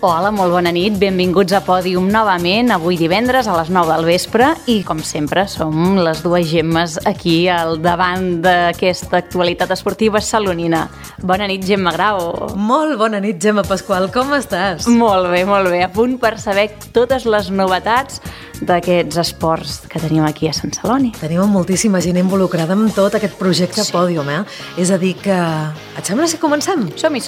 Hola, molt bona nit, benvinguts a Pòdium novament, avui divendres a les 9 del vespre i com sempre som les dues Gemmes aquí al davant d'aquesta actualitat esportiva salonina. Bona nit, Gemma Grau. Molt bona nit, Gemma Pasqual, com estàs? Molt bé, a punt per saber totes les novetats d'aquests esports que tenim aquí a Sant Celoni. Tenim moltíssima gent involucrada en tot aquest projecte Pòdium, És a dir que... Et sembla si comencem? Som-hi.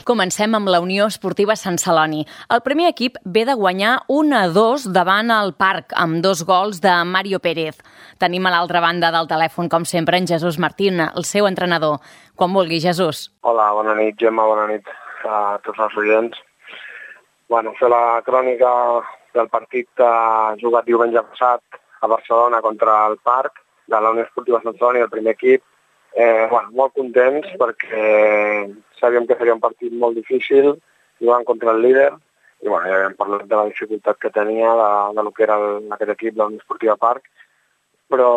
Comencem amb la Unió Esportiva Sant Celoni. El primer equip ve de guanyar 1-2 davant el Parc, amb 2 gols de Mario Pérez. Tenim a l'altra banda del telèfon, com sempre, en Jesús Martín, el seu entrenador. Quan vulgui, Jesús. Hola, bona nit, Gemma, bona nit a tots els oients. Fer la crònica del partit jugat diumenge passat a Barcelona contra el Parc, de la Unió Esportiva Sant Celoni, el primer equip. Molt contents perquè sabíem que seria un partit molt difícil, jugant contra el líder, i ja havíem parlat de la dificultat que tenia de lo que era aquest equip, la Unió Esportiva Parc, però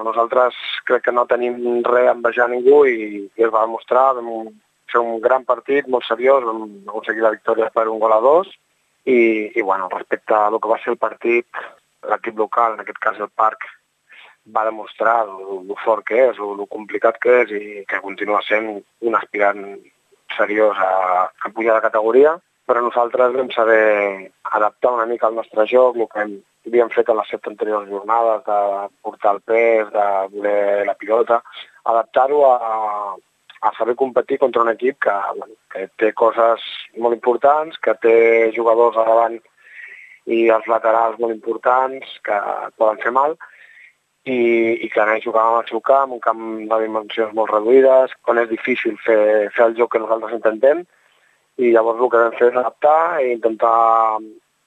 nosaltres crec que no tenim res a envejar a ningú i es va demostrar, vam fer un gran partit, molt seriós, vam aconseguir la victòria per 1-2, i respecte a lo que va ser el partit, l'equip local, en aquest cas el Parc, va demostrar el fort que és, el complicat que és i que continua sent un aspirant seriós a pujar de categoria, però nosaltres vam saber adaptar una mica el nostre joc, el que havíem fet a les 7 anteriors jornades, de portar el pes, de voler la pilota, adaptar-ho a saber competir contra un equip que té coses molt importants, que té jugadors a davant i els laterals molt importants que poden fer mal, i que anés jugant al seu camp, un camp de dimensions molt reduïdes, on és difícil fer el joc que nosaltres intentem, i llavors el que vam fer és adaptar i intentar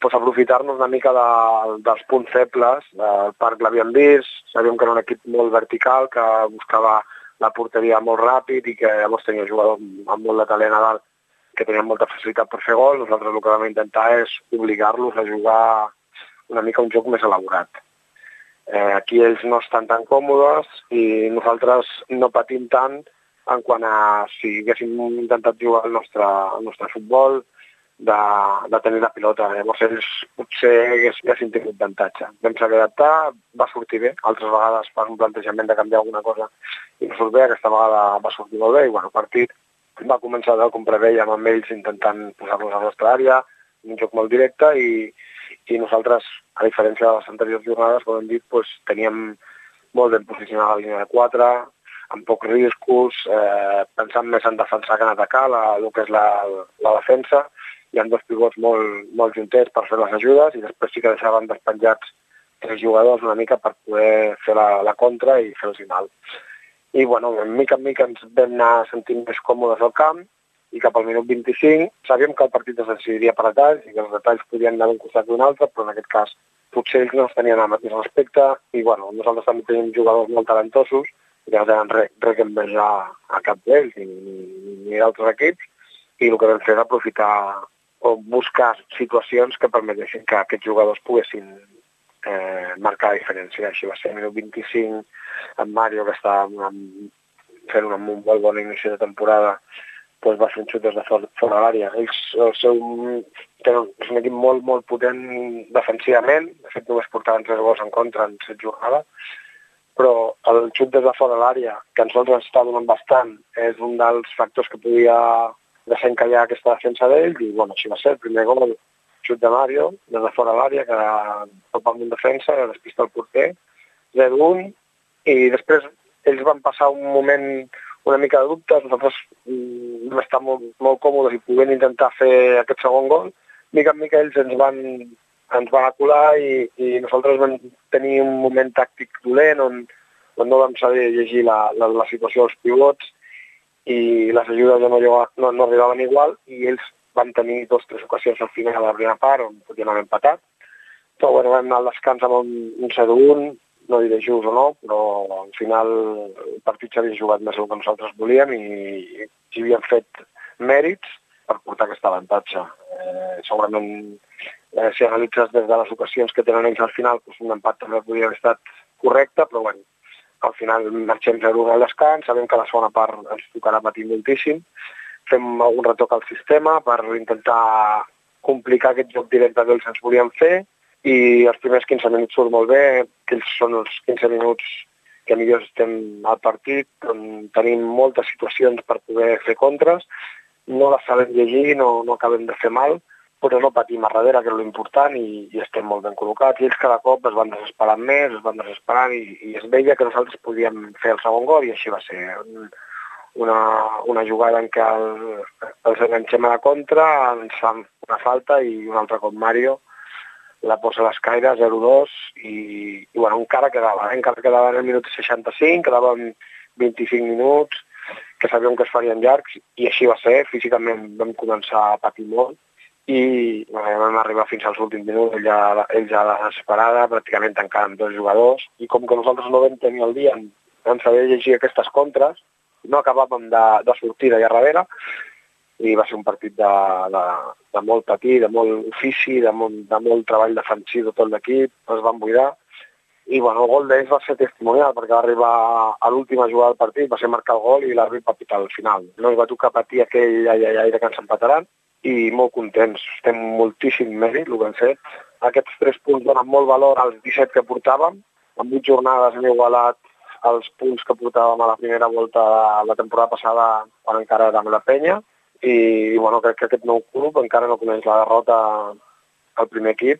aprofitar-nos una mica dels punts febles. El Parc l'havíem vist, sabíem que era un equip molt vertical, que buscava la porteria molt ràpid i que llavors tenia jugadors amb molt de talent a dalt que tenien molta facilitat per fer gol. Nosaltres el que vam intentar és obligar-los a jugar una mica un joc més elaborat. Aquí ells no estan tan còmodes i nosaltres no patim tant en quant a si haguéssim intentat jugar el nostre futbol, de tenir la pilota. Llavors ells potser haguessin tingut avantatge. Vam saber adaptar, va sortir bé. Altres vegades per un plantejament de canviar alguna cosa i no surt bé, aquesta vegada va sortir molt bé i el partit va començar com prevèiem amb ells intentant posar-nos a la nostra àrea, un joc molt directe i nosaltres, a diferència de les anteriors jornades, com hem dit, teníem molt ben posicionada la línia de 4, amb pocs riscos, pensant més en defensar que en atacar el que és la defensa. Hi ha 2 pivots molt juntets per fer les ajudes i després sí que deixaven despenjats 3 jugadors una mica per poder fer la contra i fer el final. I, mica en mica ens vam anar sentint més còmodes al camp i cap al minut 25 sabíem que el partit es decidiria per detalls i que els detalls podien anar d'un costat d'un altre, però en aquest cas potser ells no es tenien el mateix respecte i nosaltres també tenim jugadors molt talentosos i que no tenen res que envejar a cap d'ells ni d'altres equips i el que vam fer és aprofitar o buscar situacions que permetessin que aquests jugadors poguessin marcar la diferència. Així va ser el minut 25 en Mario, que està fent un molt bon inici de temporada, va fer un xut des de fora de l'àrea. És un equip molt potent defensivament, de fet només portaven 3 gols en contra en 7 jornades, però el xut des de fora de l'àrea, que a nosaltres està donant bastant, és un dels factors que podia deixar encallar aquesta defensa d'ell, i així va ser, el primer gol, xut de Mario, des de fora de l'àrea, que topa amb un defensa, despista el porter, 0-1, i després ells van passar un moment una mica de dubtes, nosaltres vam estar molt còmodes i podent intentar fer aquest segon gol. Mica en mica ells ens van acular i nosaltres vam tenir un moment tàctic dolent on no vam saber llegir la situació dels pivots i les ajudes no arribaven igual i ells van tenir 2 o 3 ocasions al final de la primera part on podien haver empatat. Però vam anar al descans amb un 0-1, no diré just o no, però al final el partit s'havia jugat més del que nosaltres volíem i havíem fet mèrits per portar aquest avantatge. Segurament, si analitzes des de les ocasions que tenen ells al final, un empat també podria haver estat correcte, però al final marxem 0-1 al descans, sabem que la segona part ens tocarà patir moltíssim, fem algun retoc al sistema per intentar complicar aquest joc directe que ells ens volien fer, i els primers 15 minuts surt molt bé, que ells són els 15 minuts que millor estem al partit, on tenim moltes situacions per poder fer contres, no les sabem llegir, no acabem de fer mal, però no patim a darrere, que és l'important, i estem molt ben col·locats. I ells cada cop es van desesperant més, i es veia que nosaltres podíem fer el segon gol, i així va ser. Una jugada en què els enganxem a la contra, ens fan una falta i un altre cop Mario la posa a l'escaire, 0-2, i bueno, encara quedava en el minut 65, quedaven 25 minuts, que sabíem que es farien llargs, i així va ser. Físicament vam començar a patir molt, i vam arribar fins als últims minuts, ells ja a la desesperada, pràcticament tancant amb 2 jugadors, i com que nosaltres no vam tenir el dia en saber llegir aquestes contres, no acabàvem de sortir d'allà darrere, i va ser un partit de molt patir, de molt ofici, de molt treball defensiu de tot l'equip, es van buidar. I bueno, el gol d'ells va ser testimonial, perquè va arribar a l'última jugada del partit, va ser marcar el gol i l'àrbit va pitar al final. No es va tocar patir aquell ai de que ens empataran, i molt contents. Estem moltíssim mèrit, el que hem fet. Aquests 3 punts donen molt valor als 17 que portàvem. En 8 jornades hem igualat els punts que portàvem a la primera volta de la temporada passada, quan encara érem la penya. I bueno, crec que aquest nou club encara no coneix la derrota al primer equip,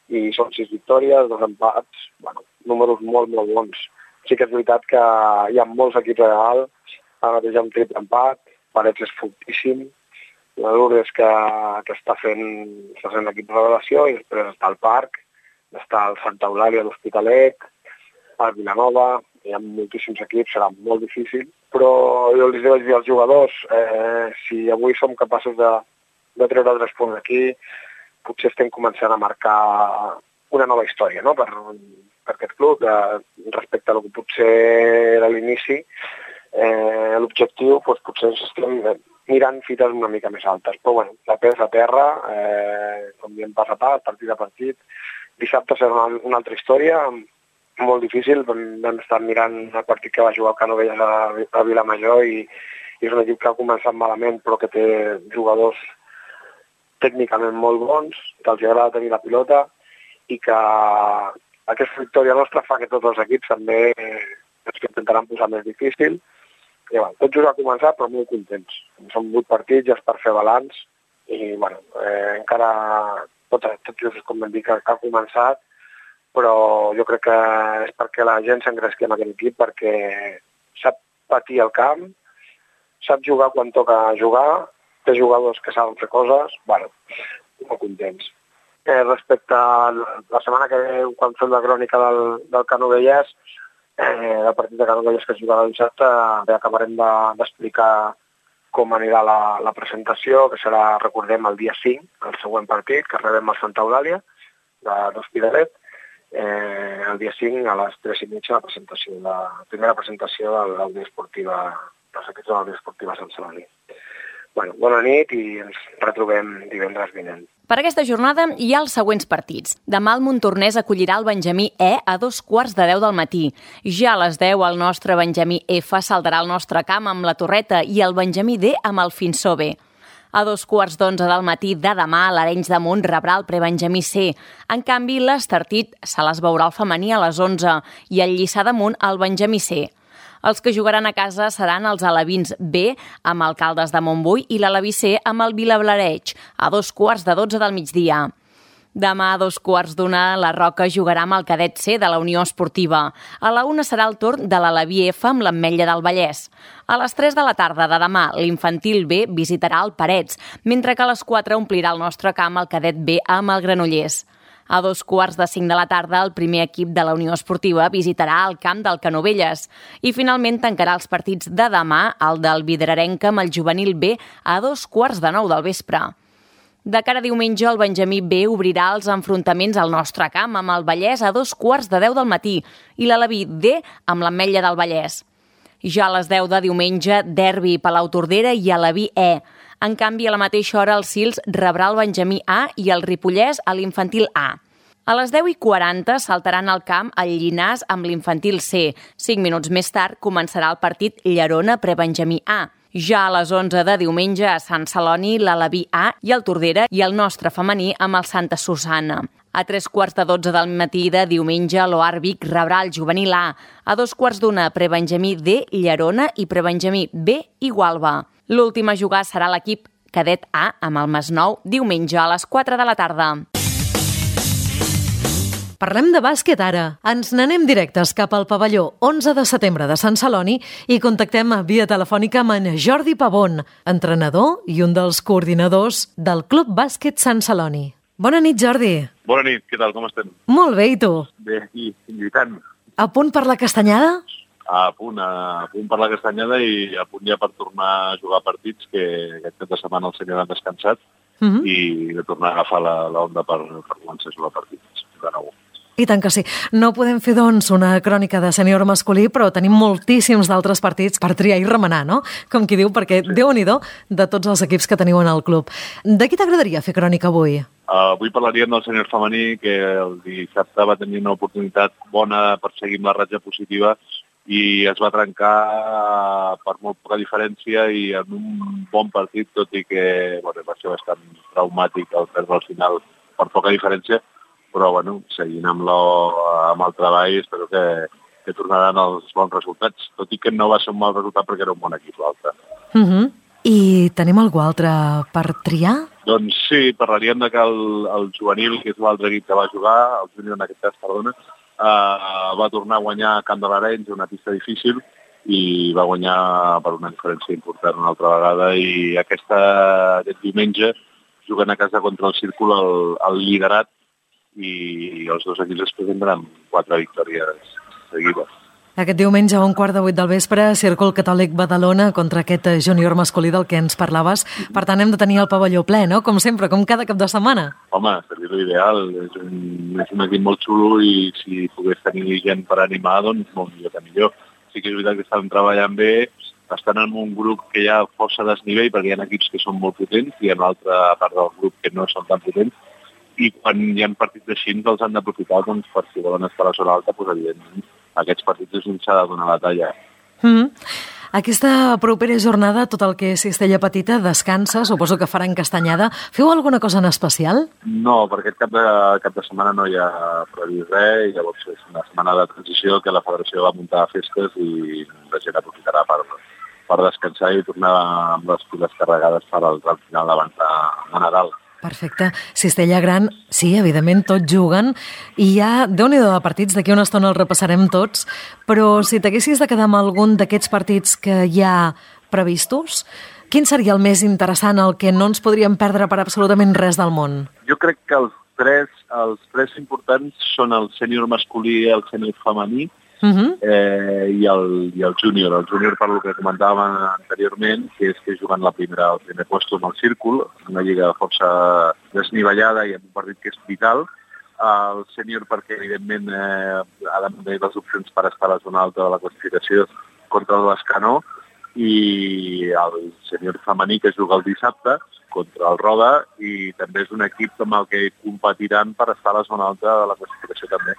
i són 6 victòries, 2 empats, bueno, números molt, molt bons. Sí que és veritat que hi ha molts equips a dalt, ara mateix hi ha un triple empat, Parets és fortíssim, la Lourdes que està fent l'equip de revelació, i després està el Parc, està el Santa Eulàlia d'Hospitalet, el Vilanova, hi ha moltíssims equips, serà molt difícil, però jo els vaig dir als jugadors, si avui som capaços de treure 3 punts aquí, potser estem començant a marcar una nova història, no?, per aquest club, respecte a lo que potser era l'inici. L'objectiu, doncs, potser ens estem mirant fites una mica més altes, però bueno, la pes a terra, com diem pas a pas, partit a partit. Dissabte serà una altra història, molt difícil. Vam estar mirant el partit que va jugar el Canovelles a Vilamajor, i és un equip que ha començat malament, però que té jugadors tècnicament molt bons, que els agrada tenir la pilota, i que aquesta victòria nostra fa que tots els equips també ens intentaran posar més difícil. I bueno, tot just ha començat, però molt contents. Són 8 partits, ja és per fer balanç, i bueno, encara tot just, com vam dir, que ha començat, però jo crec que és perquè la gent s'engresqui amb aquest equip, perquè sap patir al camp, sap jugar quan toca jugar, té jugadors que saben fer coses, bueno, molt contents. Respecte a la setmana que ve, quan fem la crònica del Canovelles, el partit de Canovelles que es jugarà el dissabte, acabarem d'explicar com anirà la presentació, que serà, recordem, el dia 5, el següent partit, que rebem al Santa Eulàlia, de l'Hospitalet, el dia 5 a les 3:30, la primera presentació de l'Unió Esportiva, dels equips de la Unió Esportiva Sant Celoni. Bueno, bona nit i ens retrobem divendres vinent. Per aquesta jornada hi ha els següents partits. Demà el Montornès acollirà el Benjamí E a 9:15 del matí. Ja a les 10 el nostre Benjamí F saltarà al nostre camp amb la Torreta i el Benjamí D amb el Finsó B. A 9:15 del matí de demà l'Arenys de Munt rebrà el Prebenjamí C. En canvi, l'Estartit se les veurà el femení a les 11 i el Lliçà d'Amunt al Benjamí C. Els que jugaran a casa seran els alevins B amb el Caldes de Montbui i l'aleví C amb el Vilablareig a 11:15 del migdia. Demà a 1:15 la Roca jugarà amb el cadet C de la Unió Esportiva. A la 1 serà el torn de l'aleví F amb l'Ametlla del Vallès. A les 3 de la tarda de demà l'infantil B visitarà el Parets, mentre que a les 4 omplirà el nostre camp el cadet B amb el Granollers. A 5:45 de la tarda, el primer equip de la Unió Esportiva visitarà el camp del Canovelles i finalment tancarà els partits de demà el del Vidrarenca amb el juvenil B a 9:15 del vespre. De cara a diumenge, el Benjamí B obrirà els enfrontaments al nostre camp amb el Vallès a 9:15 del matí i l'aleví D amb l'Ametlla del Vallès. Ja a les 10 de diumenge, derbi Palau-Tordera i aleví E. En canvi, a la mateixa hora, el Sils rebrà el Benjamí A i el Ripollès a l'infantil A. A les 10:40 saltaran al camp el Llinàs amb l'infantil C. 5 minuts més tard començarà el partit Llerona Prebenjamí A. Ja a les 11 de diumenge a Sant Celoni, l'Alaví A i el Tordera i el nostre femení amb el Santa Susana. A 3:15 del matí de diumenge, l'Oar Vic rebrà el juvenil A. A 2:15, prebenjamí D, Llerona i prebenjamí B, Igualba. L'últim a jugar serà l'equip cadet A amb el Masnou diumenge a les 4 de la tarda. Parlem de bàsquet ara. Ens n'anem directes cap al pavelló 11 de setembre de Sant Celoni i contactem via telefònica amb en Jordi Pavón, entrenador i un dels coordinadors del Club Bàsquet Sant Celoni. Bona nit, Jordi. Bona nit, què tal, com estem? Molt bé, i tu? Bé, aquí, lluitant. A punt per la castanyada? A punt per la castanyada i a punt ja per tornar a jugar partits, que aquest cap de setmana el senyor ha descansat i de tornar a agafar l'onda per començar a jugar partits de nou. I tant que sí. No podem fer, doncs, una crònica de sènior masculí, però tenim moltíssims d'altres partits per triar i remenar, no? Com qui diu, perquè Déu-n'hi-do de tots els equips que teniu en el club. De qui t'agradaria fer crònica avui? Avui parlaríem del sènior femení, que el dissabte va tenir una oportunitat bona per seguir amb la ratxa positiva i es va trencar per molt poca diferència i en un bon partit, tot i que va ser bastant traumàtic el perdre al final per poca diferència, però seguint amb el treball espero que tornaran els bons resultats, tot i que no va ser un mal resultat perquè era un bon equip l'altre. I tenim algú altre per triar? Doncs sí, parlaríem de que el juvenil, que és l'altre equip que va jugar, el júnior en aquest cas, perdona, va tornar a guanyar a Camp de l'Arenys, una pista difícil, i va guanyar per una diferència important una altra vegada, i aquest diumenge juguen a casa contra el Círcul el liderat, i els dos equips es presentaran 4 victòries seguides. Aquest diumenge a 7:15 del vespre, Círcul Catòlic Badalona contra aquest júnior masculí del que ens parlaves. Per tant, hem de tenir el pavelló ple, no? Com sempre, com cada cap de setmana. Home, seria l'ideal. És un equip molt xulo i si pogués tenir gent per animar, doncs molt millor que millor. Sí que és veritat que estan treballant bé, estan en un grup que hi ha força desnivell perquè hi ha equips que són molt potents i hi ha una altra part del grup que no són tan potents, i quan hi ha partits així els han d'aprofitar doncs, per si volen estar a la zona alta, doncs, evidentment aquests partits és on s'ha de donar la talla. Aquesta propera jornada, tot el que és Cistella Petita, descansa, suposo que faran castanyada. Feu alguna cosa en especial? No, perquè aquest cap de setmana no hi ha previst res, i llavors és una setmana de transició que la federació va muntar festes i la gent aprofitarà per descansar i tornar amb les piles carregades per al tram final abans de Nadal. Perfecte. Cistella Gran, sí, evidentment, tots juguen i ja, Déu-n'hi-do de partits, d'aquí una estona els repassarem tots, però si t'haguessis de quedar amb algun d'aquests partits que hi ha previstos, quin seria el més interessant, el que no ens podríem perdre per absolutament res del món? Jo crec que els tres importants són el sènior masculí, el sènior femení i el júnior. El júnior, per lo que comentàvem anteriorment, que és que juguen el primer puesto amb el Círcul, una lliga força desnivellada i amb un partit que és vital. El sènior perquè, evidentment, ha de mantenir les opcions per estar a la zona alta de la classificació contra l'Escanó, i el sènior femení, que juga el dissabte contra el Roda, i també és un equip amb el que competiran per estar a la zona alta de la classificació també.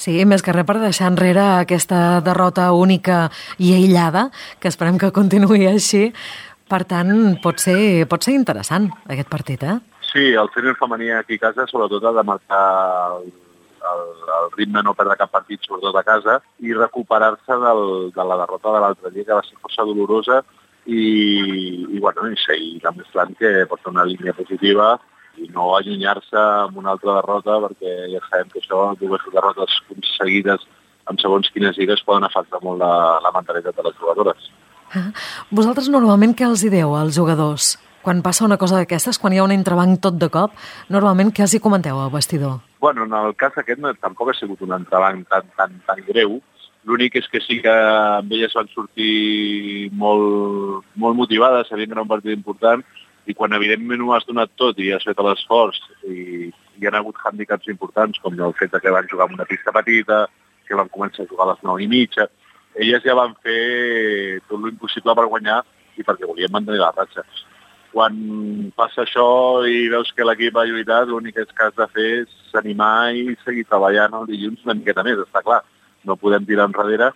Sí, més que res per deixar enrere aquesta derrota única i aïllada, que esperem que continuï així. Per tant, pot ser interessant aquest partit, eh? Sí, el sènior femení aquí a casa sobretot ha de marcar el ritme, no perdre cap partit, sobretot a casa, i recuperar-se de la derrota de l'altre dia, que va ser força dolorosa, i seguir demostrant que pot ser una línia positiva i no allunyar-se amb una altra derrota, perquè ja sabem que això, dues derrotes seguides en segons quines lligues, poden afectar molt la mentalitat de les jugadores. Vosaltres normalment què els hi dieu als jugadors? Quan passa una cosa d'aquestes, quan hi ha un entrebanc tot de cop, normalment què els hi comenteu al vestidor? Bueno, en el cas aquest tampoc ha sigut un entrebanc tan greu. L'únic és que sí que amb elles van sortir molt motivades, sabien que era un partit important, i quan evidentment ho has donat tot i has fet l'esforç i hi ha hagut hàndicaps importants, com el fet que van jugar en una pista petita, que van començar a jugar a les 9:30, elles ja van fer tot l'impossible per guanyar i perquè volien mantenir la ratxa. Quan passa això i veus que l'equip ha lluitat, l'únic que has de fer és animar i seguir treballant el dilluns una miqueta més, està clar. No podem tirar enrere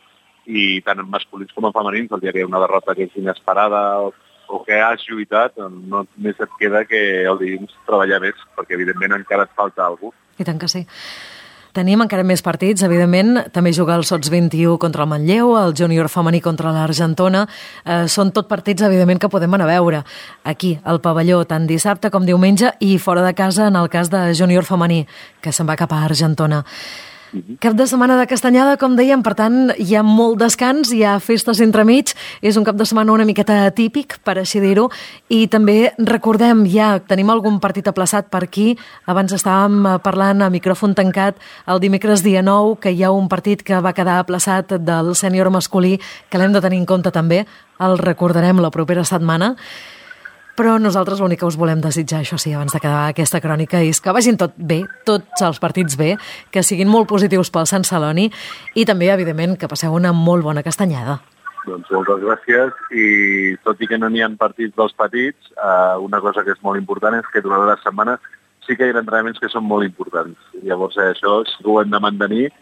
i tant en masculins com en femenins, el dia que hi ha una derrota que és inesperada o que has lluitat, només et queda que el dilluns treballar més, perquè evidentment encara et falta alguna cosa. I tant que sí. Tenim encara més partits, evidentment. També juga el Sots 21 contra el Manlleu, el júnior femení contra l'Argentona. Són tot partits, evidentment, que podem anar a veure aquí, al pavelló, tant dissabte com diumenge, i fora de casa, en el cas de júnior femení, que se'n va cap a Argentona. Cap de setmana de castanyada, com dèiem, per tant, hi ha molt descans, hi ha festes entremig, és un cap de setmana una miqueta atípic, per així dir-ho, i també recordem, ja tenim algun partit aplaçat per aquí, abans estàvem parlant a micròfon tancat el dimecres dia 9, que hi ha un partit que va quedar aplaçat del sènior masculí, que l'hem de tenir en compte també, el recordarem la propera setmana. Però nosaltres l'únic que us volem desitjar, això sí, abans d'acabar aquesta crònica, és que vagin tot bé, tots els partits bé, que siguin molt positius pel Sant Celoni i també, evidentment, que passeu una molt bona castanyada. Doncs moltes gràcies i tot i que no n'hi ha partits dels petits, una cosa que és molt important és que durant la setmana sí que hi ha entrenaments que són molt importants. Llavors això sí que ho hem de mantenir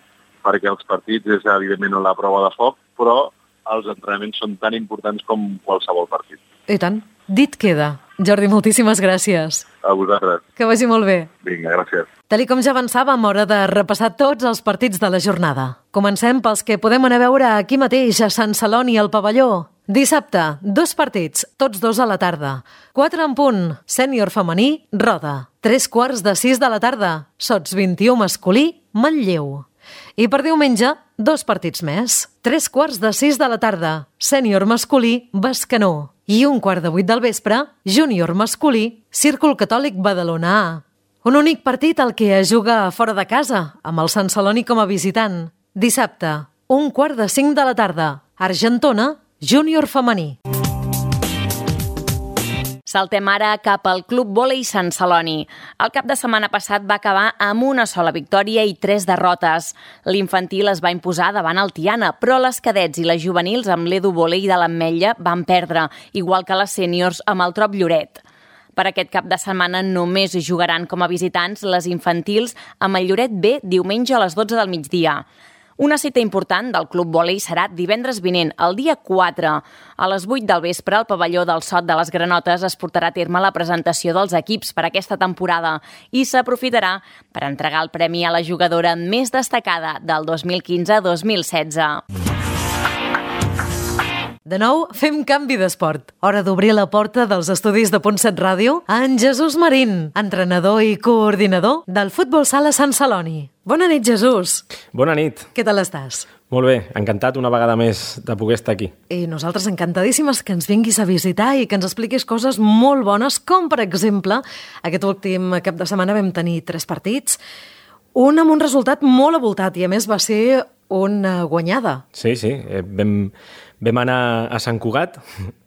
perquè els partits és evidentment la prova de foc, però els entrenaments són tan importants com qualsevol partit. I tant. Dit queda. Jordi, moltíssimes gràcies. A vosaltres. Que vagi molt bé. Vinga, gràcies. Tal com ja avançàvem, hora de repassar tots els partits de la jornada. Comencem pels que podem anar a veure aquí mateix, a Sant Celoni, al pavelló. Dissabte, 2 partits, tots 2 a la tarda. 4 en punt, sènior femení, Roda. 3:45 de la tarda, Sots 21 masculí, Manlleu. I per diumenge, 2 partits més. 3:45 de la tarda, sènior masculí, Bescanó. I 1:15 del vespre, júnior masculí, Círcul Catòlic Badalona A. Un únic partit al que es juga fora de casa, amb el Sant Celoni com a visitant. Dissabte, 1:45 de la tarda, Argentona, júnior femení. Saltem ara cap al Club Vòlei Sant Celoni. El cap de setmana passat va acabar amb una sola victòria i 3 derrotes. L'infantil es va imposar davant el Tiana, però les cadets i les juvenils amb l'Edu Vòlei de l'Ametlla van perdre, igual que les sèniors amb el Trop Lloret. Per aquest cap de setmana només jugaran com a visitants les infantils amb el Lloret B diumenge a les 12 del migdia. Una cita important del Club Vòlei serà divendres vinent, el dia 4. A les 8 del vespre, al pavelló del Sot de les Granotes es portarà a terme la presentació dels equips per aquesta temporada i s'aprofitarà per entregar el premi a la jugadora més destacada del 2015-2016. De nou, fem canvi d'esport. Hora d'obrir la porta dels estudis de Punt7 Ràdio a en Jesús Marín, entrenador i coordinador del Futbol Sala Sant Celoni. Bona nit, Jesús. Bona nit. Què tal estàs? Molt bé, encantat una vegada més de poder estar aquí. I nosaltres encantadíssimes que ens vinguis a visitar i que ens expliquis coses molt bones, com per exemple, aquest últim cap de setmana vam tenir 3 partits, un amb un resultat molt avoltat i a més va ser una guanyada. Sí, vam anar a Sant Cugat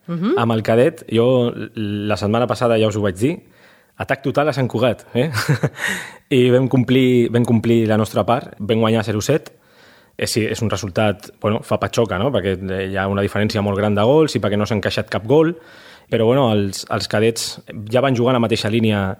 amb el cadet. Jo la setmana passada ja us ho vaig dir, atac total a Sant Cugat, I vam complir la nostra part, vam guanyar 0-7. Sí, és un resultat, fa patxoca, no? Perquè hi ha una diferència molt gran de gols i perquè no s'ha encaixat cap gol, però els cadets ja van jugar a la mateixa línia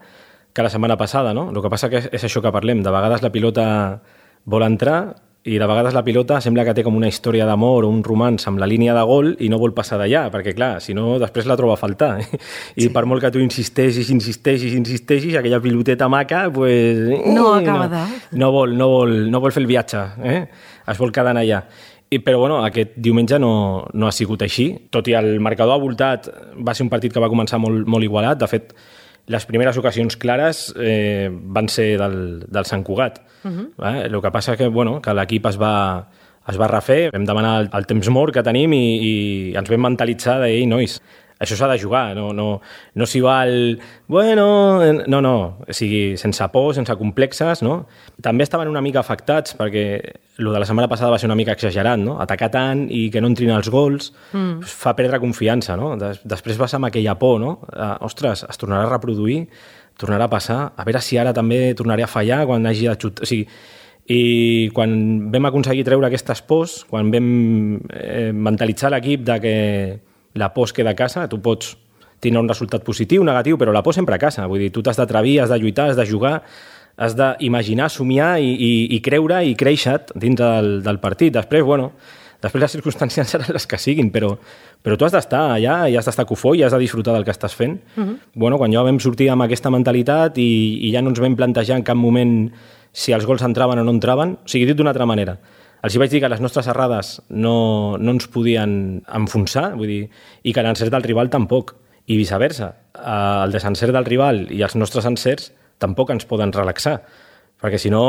que la setmana passada, no? El que passa que és això que parlem, de vegades la pilota vol entrar i de vegades la pilota sembla que té com una història d'amor o un romanç amb la línia de gol i no vol passar d'allà, perquè clar, si no després la troba a faltar. I per molt que tu insisteixis, aquella piloteta maca, pues, no acaba de... No vol fer el viatge, es vol quedar allà. Però aquest diumenge no ha sigut així, tot i el marcador avoltat va ser un partit que va començar molt, molt igualat. De fet, les primeres ocasions clares van ser del Sant Cugat. El que passa que l'equip es va refer, vam demanar el temps mort que tenim i ens vam mentalitzar de, nois, això s'ha de jugar, no s'hi val... No, o sigui, sense por, sense complexes, no? També estaven una mica afectats perquè el de la setmana passada va ser una mica exagerat, no? Atacar tant i que no entrin els gols fa perdre confiança, no? Després vas amb aquella por, no? Ostres, es tornarà a reproduir, tornarà a passar, a veure si ara també tornaré a fallar quan hagi de xutar... O sigui, i quan vam aconseguir treure aquestes pors, quan vam mentalitzar l'equip de que la por es queda a casa, tu pots tindre un resultat positiu, negatiu, però la por sempre a casa. Vull dir, tu t'has d'atrevir, has de lluitar, has de jugar, has d'imaginar, somiar i creure i créixer dins del partit. Després, Després les circumstàncies seran les que siguin, però tu has d'estar allà i has d'estar cofoi i has de disfrutar del que estàs fent. Bueno, quan ja vam sortir amb aquesta mentalitat i ja no ens vam plantejar en cap moment si els gols entraven o no entraven, o sigui, dit d'una altra manera, els hi vaig dir que les nostres errades no ens podien enfonsar, vull dir, i que l'encert del rival tampoc, i viceversa. El desencert del rival i els nostres encerts tampoc ens poden relaxar, perquè si no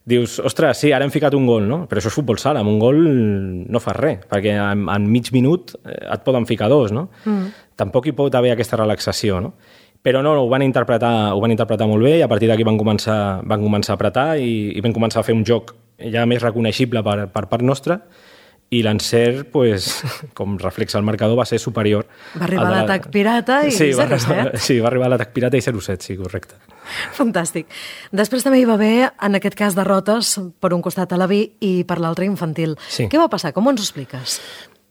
dius, ostres, sí, ara hem ficat un gol, no? Però això és futbol sala, amb un gol no fas res, perquè en mig minut et poden ficar 2, no? Tampoc hi pot haver aquesta relaxació, no? Però no, ho van interpretar molt bé i a partir d'aquí van començar a apretar i vam començar a fer un joc ja més reconeixible per part nostra i l'encert, pues, com reflexa el marcador, va ser superior. Va arribar l'atac pirata i 0-7. Sí, va arribar l'atac pirata i 0-7, sí, correcte. Fantàstic. Després també hi va haver, en aquest cas, derrotes per un costat Alaví i per l'altre Infantil. Sí. Què va passar? Com ens ho expliques?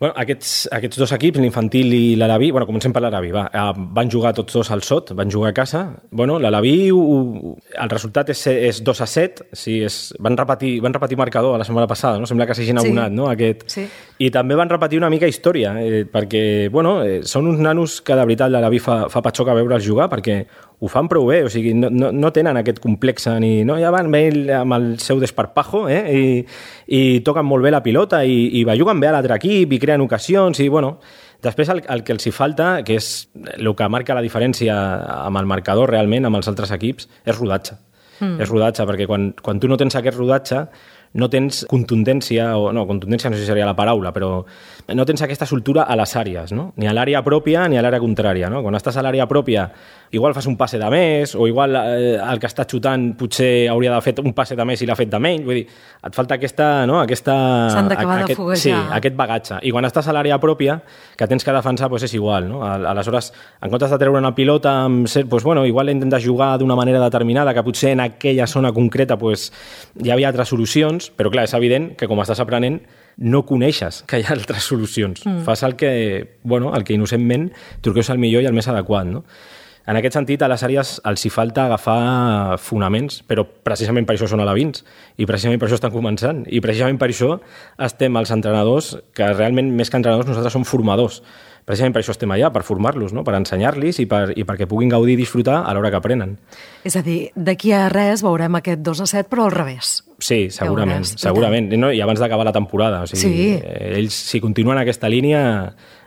Bueno, aquests dos equips, l'Infantil i l'Alaví, bueno, comencem per l'Alaví, van jugar tots dos al Sot, van jugar a casa. Bueno, l'Alaví, el resultat és 2-7, sí, van repetir marcador la setmana passada, no? Sembla que s'hagin abonat, no? Sí. I també van repetir una mica història, perquè, bueno, són uns nanos que de veritat l'Alaví fa patxoca veure'ls jugar, perquè ho fan prou bé, o sigui, no tenen aquest complex ni... No, ja van bé amb el seu desparpajo, i toquen molt bé la pilota i juguen bé a l'altre equip i creen ocasions i, bueno, després el que els hi falta, que és el que marca la diferència amb el marcador realment, amb els altres equips, és rodatge. És rodatge, perquè quan tu no tens aquest rodatge no tens contundència, o no, contundència no sé si seria la paraula, però no tens aquesta soltura a les àrees, no? Ni a l'àrea pròpia ni a l'àrea contrària, no? Quan estàs a l'àrea pròpia, igual fas un passe de més, o igual el que està xutant potser hauria de fer un passe de més i l'ha fet de menys, vull dir, et falta s'han d'acabar de foguejar. Sí, aquest bagatge. I quan estàs a l'àrea pròpia, que tens que defensar, doncs és igual, no? Aleshores, en comptes de treure una pilota, doncs, bueno, igual intentes jugar d'una manera determinada, que potser en aquella zona concreta doncs, hi havia altres solucions, però clar, és evident que com estàs aprenent no coneixes que hi ha altres solucions. Fas el que innocentment truqueus el millor i el més adequat, no? En aquest sentit, a les àrees els hi falta agafar fonaments, però precisament per això són alevins, i precisament per això estan començant, i precisament per això estem els entrenadors, que realment més que entrenadors nosaltres som formadors. Precisament per això estem allà, per formar-los, no? Per ensenyar-los i perquè puguin gaudir i disfrutar a l'hora que aprenen. És a dir, d'aquí a res veurem aquest 2-7, però al revés. Sí, segurament. No? I abans d'acabar la temporada. O sigui, ells, si continuen aquesta línia...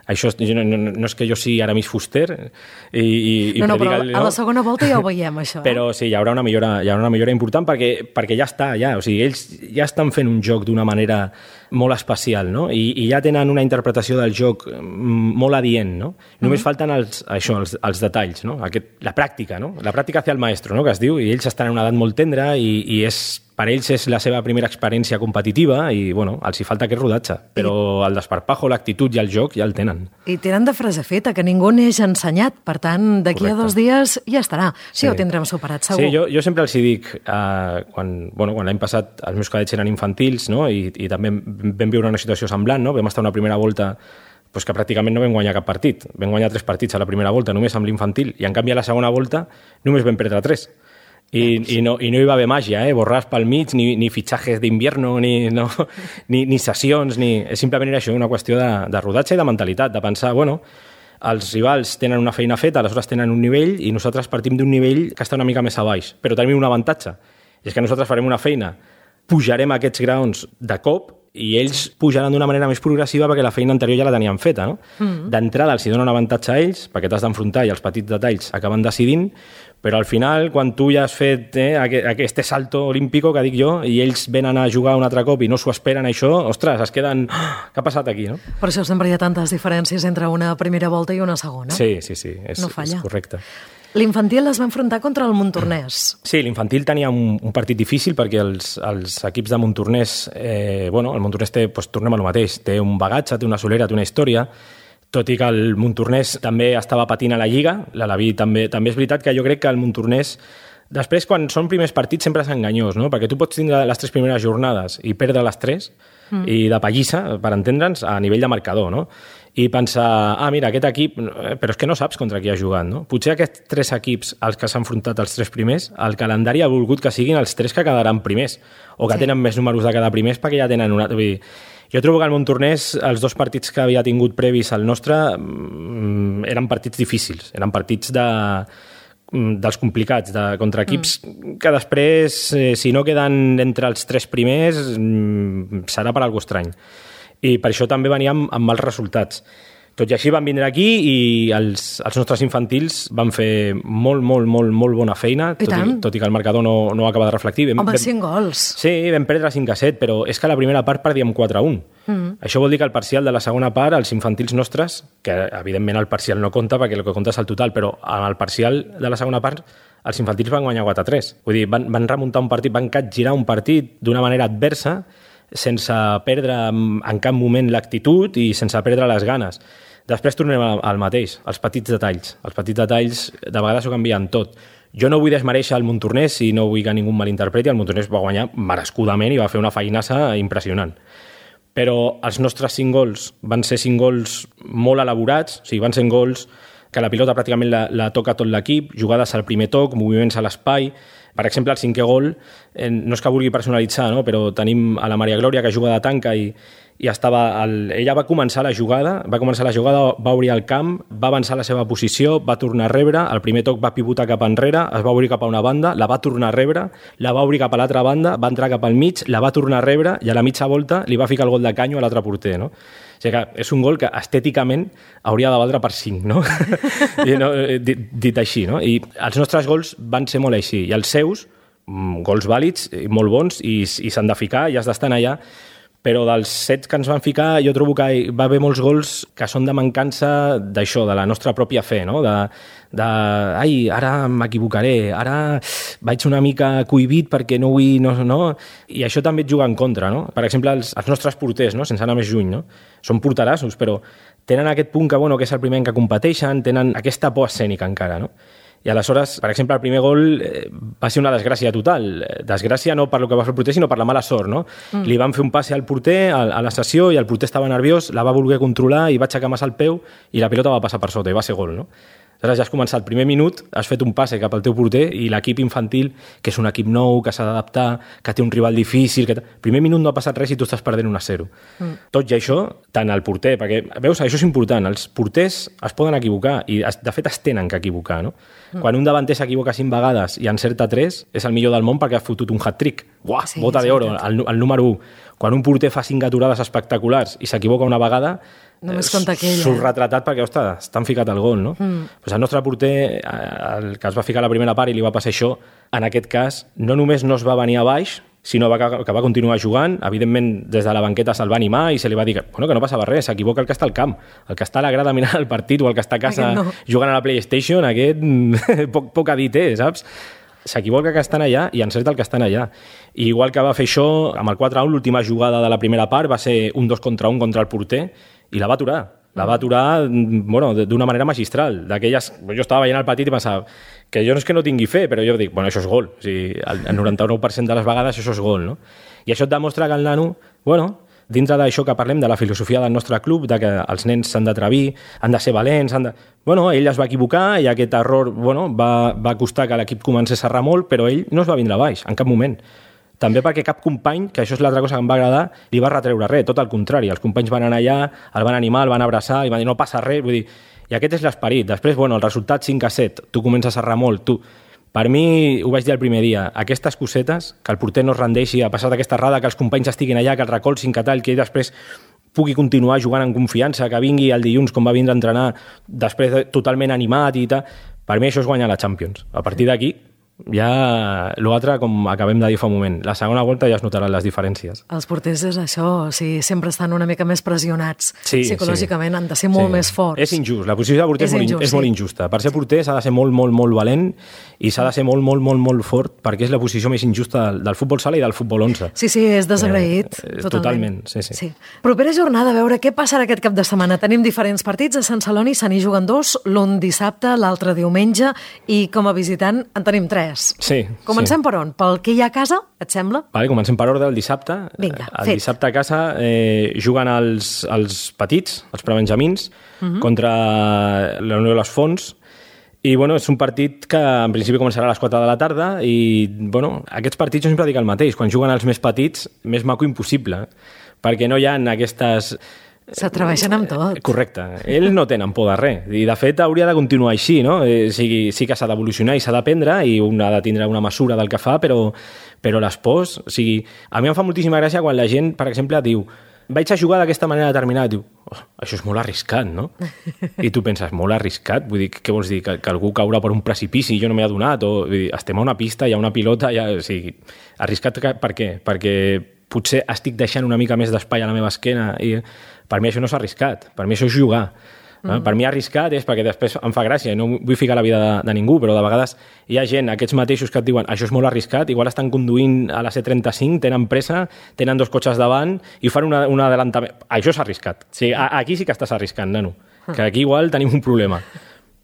Això no és que jo sigui Aramis Fuster i no, però a la segona volta ja ho veiem, això. Però sí, hi haurà una millora important perquè ja està, o sigui, ells ja estan fent un joc d'una manera molt especial, no? I ja tenen una interpretació del joc molt adient, no? Només falten els detalls, no? La pràctica, no? La pràctica hacia el maestro, no? Que es diu, i ells estan en una edat molt tendra i per ells és la seva primera experiència competitiva i, bueno, els hi falta aquest rodatge. Però el desparpajo, l'actitud i el joc ja el tenen. I tenen de frase feta, que ningú neix ensenyat. Per tant, d'aquí a 2 dies ja estarà. Sí, ho tindrem superat, segur. Sí, jo sempre els hi dic, quan l'any passat els meus cadets eren infantils, no? I també vam viure una situació semblant, no? Vam estar una primera volta que pràcticament no vam guanyar cap partit. Vam guanyar 3 partits a la primera volta, només amb l'infantil. I en canvi a la segona volta només vam perdre 3. I no hi va haver màgia, borràs pel mig, ni fitxatges d'invierno, ni sessions, simplement era això, una qüestió de rodatge i de mentalitat, de pensar, bueno, els rivals tenen una feina feta, aleshores tenen un nivell i nosaltres partim d'un nivell que està una mica més a baix, però tenim un avantatge, és que nosaltres farem una feina, pujarem aquests graons de cop i ells pujaran d'una manera més progressiva perquè la feina anterior ja la tenien feta, no? D'entrada els donen un avantatge a ells perquè t'has d'enfrontar i els petits detalls acaben decidint, però al final, quan tu ja has fet aquest salto olímpico, que dic jo, i ells venen a jugar un altre cop i no s'ho esperen això, ostres, es queden... Què ha passat aquí, no? Per això sempre hi ha tantes diferències entre una primera volta i una segona. Sí, és correcte. L'infantil es va enfrontar contra el Montornès. Sí, l'infantil tenia un partit difícil perquè els equips de Montornès, el Montornès tornem a lo mateix, té un bagatge, té una solera, té una història, tot i que el Montornès també estava patint a la Lliga, l'Alaví també és veritat que jo crec que el Montornès, després quan són primers partits sempre és enganyós, no? Perquè tu pots tindre les 3 primeres jornades i perdre les 3, i de pallissa, per entendre'ns, a nivell de marcador, no? I pensar, mira, aquest equip, però és que no saps contra qui ha jugat, no? Potser aquests 3 equips als que s'han enfrontat els 3 primers, el calendari ha volgut que siguin els 3 que quedaran primers, o que tenen més números de quedar primers perquè ja tenen una... Jo trobo que el Montornès, els 2 partits que havia tingut previs al nostre, eren partits difícils, eren partits dels complicats, contra equips que després, si no queden entre els 3 primers, serà per algú estrany. I per això també veníem amb mals resultats. Tot i així van vindre aquí i els nostres infantils van fer molt bona feina, tot i que el marcador no acaba de reflectir. Home, 5 gols. Sí, vam perdre 5-7, però és que a la primera part perdíem 4-1. Això vol dir que el parcial de la segona part, els infantils nostres, que evidentment el parcial no compta perquè el que compta és el total, però en el parcial de la segona part els infantils van guanyar 4-3. Vull dir, van remuntar un partit, van capgirar un partit d'una manera adversa, sense perdre en cap moment l'actitud i sense perdre les ganes. Després tornem al mateix, als petits detalls. Els petits detalls de vegades ho canvien tot. Jo no vull desmereixer el Montornès i no vull que ningú malinterpreti. El Montornès va guanyar merescudament i va fer una feinassa impressionant. Però els nostres 5 gols van ser 5 gols molt elaborats, o sigui, van ser gols que la pilota pràcticament la toca tot l'equip, jugades al primer toc, moviments a l'espai. Per exemple, el 5è gol, no és que vulgui personalitzar, no? Però tenim a la Maria Glòria que juga de tanca i ella va començar la jugada, va obrir el camp, va avançar la seva posició, va tornar a rebre, el primer toc va pivotar cap enrere, es va obrir cap a una banda, la va tornar a rebre, la va obrir cap a l'altra banda, va entrar cap al mig, la va tornar a rebre i a la mitja volta li va ficar el gol de canyo a l'altre porter, no? O sigui que és un gol que estèticament hauria de valdre per 5, no? Dit així, no? I els nostres gols van ser molt així, i els seus, gols vàlids, molt bons, i s'han de ficar, i has d'estar allà. Però dels 7 que ens van ficar jo trobo que va haver molts gols que són de mancança d'això, de la nostra pròpia fe, no? Ai, ara m'equivocaré, ara vaig una mica cohibit perquè no vull... No. I això també et juga en contra, no? Per exemple, els nostres porters, no? Sense anar més lluny, no? Són porterassos, però tenen aquest punt que és el primer que competeixen, tenen aquesta por escènica encara, no? I aleshores, per exemple, el primer gol va ser una desgràcia total. Desgràcia no per lo que va fer el porter, sinó per la mala sort, no? Li van fer un passe al porter a la sessió i el porter estava nerviós, la va voler controlar i va aixecar massa el peu i la pilota va passar per sota i va ser gol, no? Aleshores ja has començat el primer minut, has fet un passe cap al teu porter i l'equip infantil, que és un equip nou, que s'ha d'adaptar, que té un rival difícil... El primer minut no ha passat res i tu estàs perdent 1-0. Tot i això, tant el porter, perquè, veus, això és important, els porters es poden equivocar i, de fet, es tenen que equivocar, no? Quan un davanter s'equivoca 5 vegades i encerta 3, és el millor del món perquè ha fotut un hat-trick. Uah, sí, bota d'oro, el número 1. Quan un porter fa 5 aturades espectaculars i s'equivoca una vegada, només compta aquella. Surt retratat perquè, ostres, t'han ficat el gol, no? Pues el nostre porter, el que es va ficar a la primera part i li va passar això, en aquest cas, no només no es va venir a baix, sinó que va continuar jugant. Evidentment, des de la banqueta se'l va animar i se li va dir que no passava res, s'equivoca el que està al camp. El que està a la grada mirant el partit o el que està a casa jugant a la PlayStation, aquest poc a dir té, saps? S'equivoca que estan allà i encerta el que estan allà. I igual que va fer això, amb el 4-1, l'última jugada de la primera part va ser un 2 contra 1 contra el porter i la va aturar. La va aturar d'una manera magistral. D'aquelles, jo estava veient el partit i pensava que jo no és que no tingui fe, però jo dic, això és gol. O sigui, el 99% de les vegades això és gol, no? I això et demostra que el nano, dintre d'això que parlem de la filosofia del nostre club, de que els nens s'han d'atrevir, han de ser valents, ell es va equivocar i aquest error va costar que l'equip comencés a errar molt, però ell no es va vindre a baix, en cap moment. També perquè cap company, que això és l'altra cosa que em va agradar, li va retreure res, tot el contrari. Els companys van anar allà, el van animar, el van abraçar, i van dir no passa res, vull dir, i aquest és l'esperit. Després, el resultat 5-7, tu comences a errar molt, per mi, ho vaig dir el primer dia, aquestes cosetes, que el porter no es rendeixi a passar d'aquesta errada, que els companys estiguin allà, que el recolzin, que tal, que ell després pugui continuar jugant en confiança, que vingui el dilluns com va vindre a entrenar, després totalment animat i tal, per mi això és guanyar la Champions. A partir d'aquí, ja l'altre, com acabem de dir fa un moment, la segona volta ja es notaran les diferències. Els porters és això, sempre estan una mica més pressionats psicològicament, han de ser molt més forts. És injust, la posició de porter és molt injusta. Per ser porter s'ha de ser molt, molt, molt valent i s'ha de ser molt, molt, molt, molt fort perquè és la posició més injusta del futbol sala i del futbol 11. Sí, és desagraït, totalment. Sí. Propera jornada, a veure què passarà aquest cap de setmana. Tenim diferents partits, a Sant Celoni se n'hi juguen 2, l'un dissabte, l'altre diumenge, i com a visitant en tenim 3. Sí. Comencem per on? Pel que hi ha a casa, et sembla? Vale, comencem per ordre el dissabte. Vinga, el dissabte a casa juguen els petits, els prebenjamins, contra la Unió de les Fonts, I bueno, és un partit que en principi començarà a les 4 de la tarda i bueno, aquests partits jo sempre dic el mateix, quan juguen els més petits, més maco impossible, perquè no hi ha aquestes... S'atreveixen amb tot. Correcte. Ells no tenen por de res. I, de fet, hauria de continuar així, no? Sí que s'ha d'evolucionar i s'ha d'aprendre i un ha de tindre una mesura del que fa, però les pors... O sigui, a mi em fa moltíssima gràcia quan la gent, per exemple, diu vaig a jugar d'aquesta manera determinada. Diu, això és molt arriscat, no? I tu penses, molt arriscat? Vull dir, què vols dir? Que algú caurà per un precipici i jo no m'he adonat? O, vull dir, estem a una pista, hi ha una pilota... O sigui, arriscat per què? Perquè potser estic deixant una mica més d'espai a la meva esquena i per mi això no és arriscat, per mi això és jugar. Per mi arriscat és perquè després em fa gràcia, no vull ficar la vida de ningú, però de vegades hi ha gent, aquests mateixos que et diuen això és molt arriscat, igual estan conduint a la C35, tenen pressa, tenen 2 cotxes davant i fan un adelantament. Això és arriscat. O sigui, aquí sí que estàs arriscant, nano, que aquí igual tenim un problema.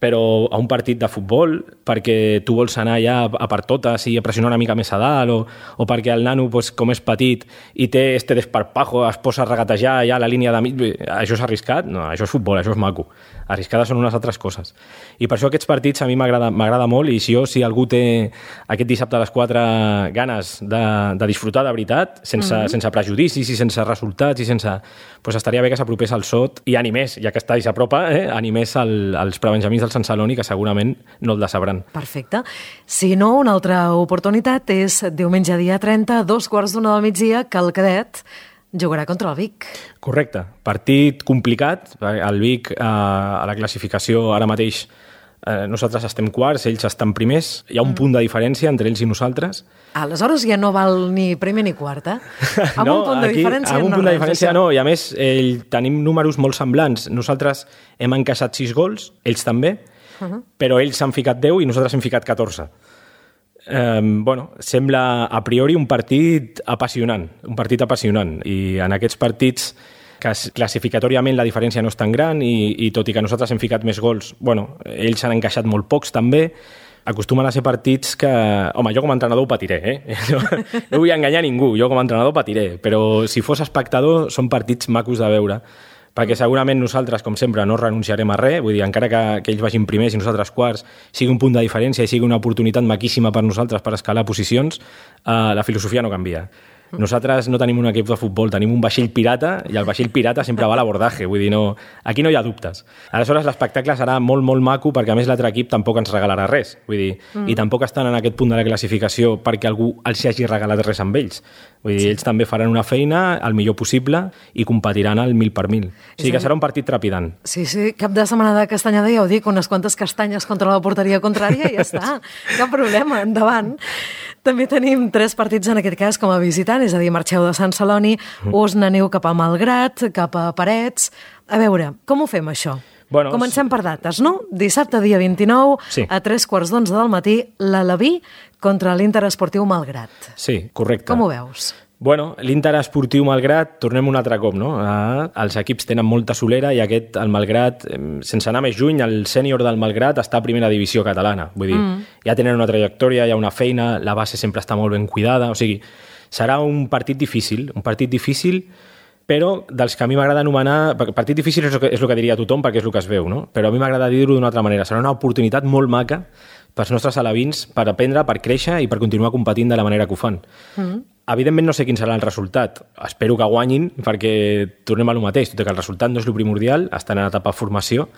Però a un partit de futbol, perquè tu vols anar ja a per totes i a pressionar una mica més a dalt, o perquè el nano, pues, com és petit i té este desparpajo, es posa a regatejar ja a la línia de mig, això és arriscat? No, això és futbol, això és maco. Arriscades són unes altres coses. I per això aquests partits a mi m'agrada molt, i si algú té aquest dissabte a les 4 ganes de disfrutar de veritat, sense prejudicis i sense resultats, i sense... Pues estaria bé que s'apropés al SOT i animés, ja que està i s'apropa, animés als prebenjamins del Sant Celoni, que segurament no el decebran. Perfecte. Si no, una altra oportunitat és diumenge dia 30, 2:15 del migdia, que el cadet jugarà contra el Vic. Correcte. Partit complicat. El Vic, a la classificació ara mateix, nosaltres estem quarts, ells estan primers. Hi ha un punt de diferència entre ells i nosaltres. Aleshores ja no val ni primer ni quart, eh? Amb no, un punt de diferència amb un punt de diferència no, i a més tenim números molt semblants. Nosaltres hem encaixat 6 gols, ells també, però ells s'han ficat 10 i nosaltres hem ficat 14. Bueno, sembla a priori un partit apassionant, i en aquests partits que classificatòriament la diferència no és tan gran i tot i que nosaltres hem ficat més gols, bueno, ells han encaixat molt pocs també, acostumen a ser partits que... Home, jo com a entrenador ho patiré, no vull enganyar ningú, jo com a entrenador patiré, però si fos espectador són partits macos de veure, perquè segurament nosaltres, com sempre, no renunciarem a res, vull dir, encara que ells vagin primers i nosaltres quarts, sigui un punt de diferència i sigui una oportunitat maquíssima per nosaltres per escalar posicions, la filosofia no canvia. Nosaltres no tenim un equip de futbol, tenim un vaixell pirata i el vaixell pirata sempre va a l'abordatge, vull dir, no, aquí no hi ha dubtes. Aleshores l'espectacle serà molt, molt maco perquè a més l'altre equip tampoc ens regalarà res, vull dir, i tampoc estan en aquest punt de la classificació perquè algú els hagi regalat res amb ells. Vull dir, ells també faran una feina el millor possible i competiran al 1000 per 1000. O sigui que serà un partit trepidant. Sí, cap de setmana de castanyada, ja ho dic, unes quantes castanyes contra la porteria contrària i ja està, cap problema, endavant. També tenim 3 partits en aquest cas com a visitant, és a dir, marxeu de Sant Celoni, us n'aneu cap a Malgrat, cap a Parets... A veure, com ho fem, això? Bueno, comencem per dates, no? Dissabte, dia 29, sí. A 3:15 del matí, l'Alaví contra l'Inter Esportiu Malgrat. Sí, correcte. Com ho veus? Bueno, l'Inter Esportiu Malgrat, tornem un altre cop, no? Els equips tenen molta solera i aquest, el Malgrat, sense anar més lluny, el sènior del Malgrat està a primera divisió catalana. Vull dir, ja tenen una trajectòria, hi ha una feina, la base sempre està molt ben cuidada, o sigui, serà un partit difícil, però dels que a mi m'agrada anomenar... Partit difícil és el que diria tothom perquè és el que es veu, no? Però a mi m'agrada dir-ho d'una altra manera. Serà una oportunitat molt maca pels nostres alevins per aprendre, per créixer i per continuar competint de la manera que ho fan. Evidentment no sé quin serà el resultat. Espero que guanyin perquè tornem a lo mateix. Tot i que el resultat no és el primordial, estan en etapa de formació.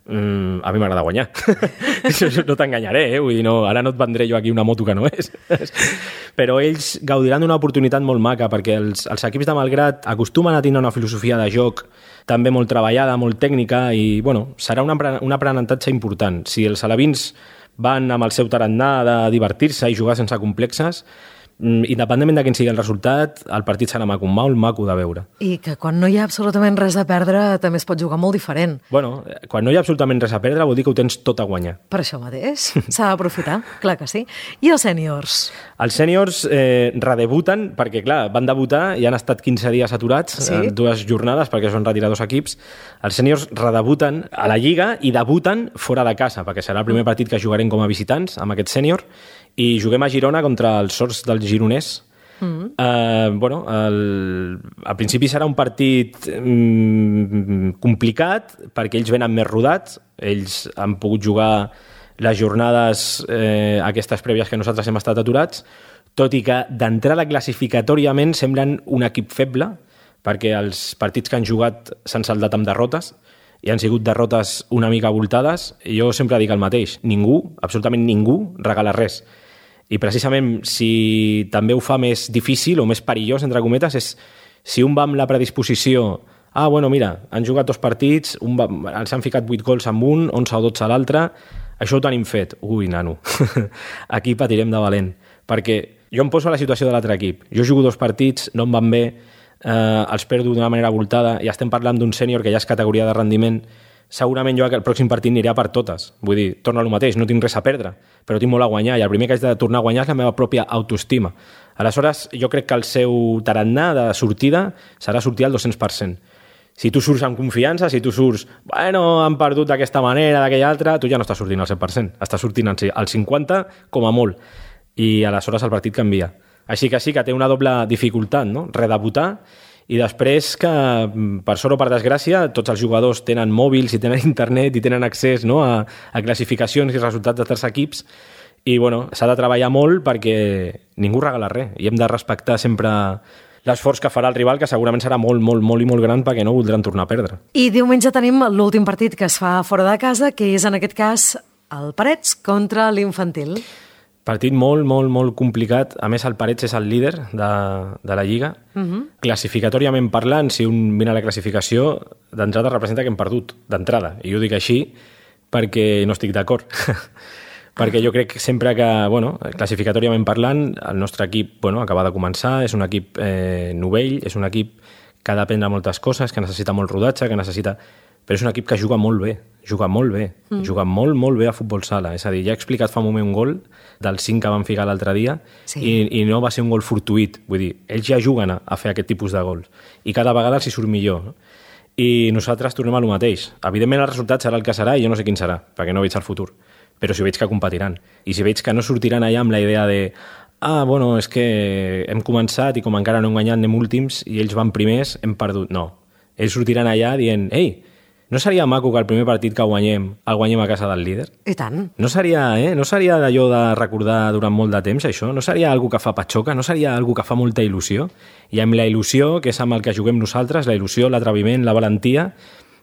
A mi m'agrada guanyar. No t'enganyaré, vull dir, no, ara no et vendré jo aquí una moto que no és. Però ells gaudiran d'una oportunitat molt maca perquè els equips de Malgrat acostumen a tenir una filosofia de joc també molt treballada, molt tècnica i, bueno, serà un aprenentatge important. Si els alevins van amb el seu tarannà de divertir-se i jugar sense complexes, independentment de quin sigui el resultat, el partit serà maco, molt maco de veure. I que quan no hi ha absolutament res a perdre també es pot jugar molt diferent. Bueno, quan no hi ha absolutament res a perdre vol dir que ho tens tot a guanyar. Per això mateix, s'ha d'aprofitar, clar que sí. I els sèniors? Els sèniors redebuten, perquè clar, van debutar i han estat 15 dies aturats, sí? 2 jornades, perquè es van retirar 2 equips. Els sèniors redebuten a la Lliga i debuten fora de casa, perquè serà el primer partit que jugarem com a visitants amb aquest sènior, i juguem a Girona contra els sords del gironès. Bueno, al principi serà un partit complicat perquè ells venen més rodats, ells han pogut jugar les jornades aquestes prèvies que nosaltres hem estat aturats, tot i que d'entrada classificatòriament semblen un equip feble, perquè els partits que han jugat s'han saldat amb derrotes, i han sigut derrotes una mica voltades, i jo sempre dic el mateix, ningú, absolutament ningú, regala res. I precisament si també ho fa més difícil o més perillós, entre cometes, és si un va amb la predisposició bueno, mira, han jugat 2 partits, els han ficat 8 gols amb un, 11 o 12 a l'altre, això ho tenim fet. Ui, nano, aquí patirem de valent. Perquè jo em poso a la situació de l'altre equip. Jo jugo 2 partits, no em van bé, els perdo d'una manera voltada, i estem parlant d'un sènior que ja és categoria de rendiment. Segurament jo el pròxim partit aniré per totes. Vull dir, torno al mateix, no tinc res a perdre, però tinc molt a guanyar, i el primer que haig de tornar a guanyar és la meva pròpia autoestima. Aleshores, jo crec que el seu tarannà de sortida serà sortir al 200%. Si tu surts amb confiança, si tu surts, bueno, han perdut d'aquesta manera, d'aquella altra, tu ja no estàs sortint al 100%, estàs sortint al 50% com a molt, i aleshores el partit canvia. Així que sí que té una doble dificultat, no? Redebutar, i després que, per sort o per desgràcia, tots els jugadors tenen mòbils i tenen internet i tenen accés, no, a classificacions i resultats de 3 equips, i bueno, s'ha de treballar molt perquè ningú regala res, i hem de respectar sempre l'esforç que farà el rival, que segurament serà molt, molt, molt i molt gran, perquè no voldran tornar a perdre. I diumenge tenim l'últim partit que es fa fora de casa, que és en aquest cas el Parets contra l'Infantil. Partit molt, molt, molt complicat. A més, el Parets és el líder de la Lliga. Classificatòriament parlant, si un mira la classificació, d'entrada representa que hem perdut, d'entrada. I jo dic així perquè no estic d'acord. Perquè jo crec sempre que, bueno, classificatòriament parlant, el nostre equip acaba de començar, és un equip novell, és un equip que ha d'aprendre moltes coses, que necessita molt rodatge, però és un equip que juga molt bé, juga molt bé a futbol sala. És a dir, ja he explicat fa un moment un gol del 5 que van ficar l'altre dia, i no va ser un gol fortuït. Vull dir, ells ja juguen a fer aquest tipus de gols, i cada vegada els hi surt millor, no? I nosaltres tornem a lo mateix. Evidentment el resultat serà el que serà, i jo no sé quin serà, perquè no veig el futur. Però si veig que competiran, i si veig que no sortiran allà amb la idea de bueno, és que hem començat i com encara no hem guanyat anem últims i ells van primers, hem perdut. No, ells sortiran allà dient no seria maco que el primer partit que guanyem el guanyem a casa del líder? I tant. No seria d'allò de recordar durant molt de temps això? No seria algo que fa patxoca? No seria algo que fa molta il·lusió? I amb la il·lusió, que és amb el que juguem nosaltres, la il·lusió, l'atreviment, la valentia,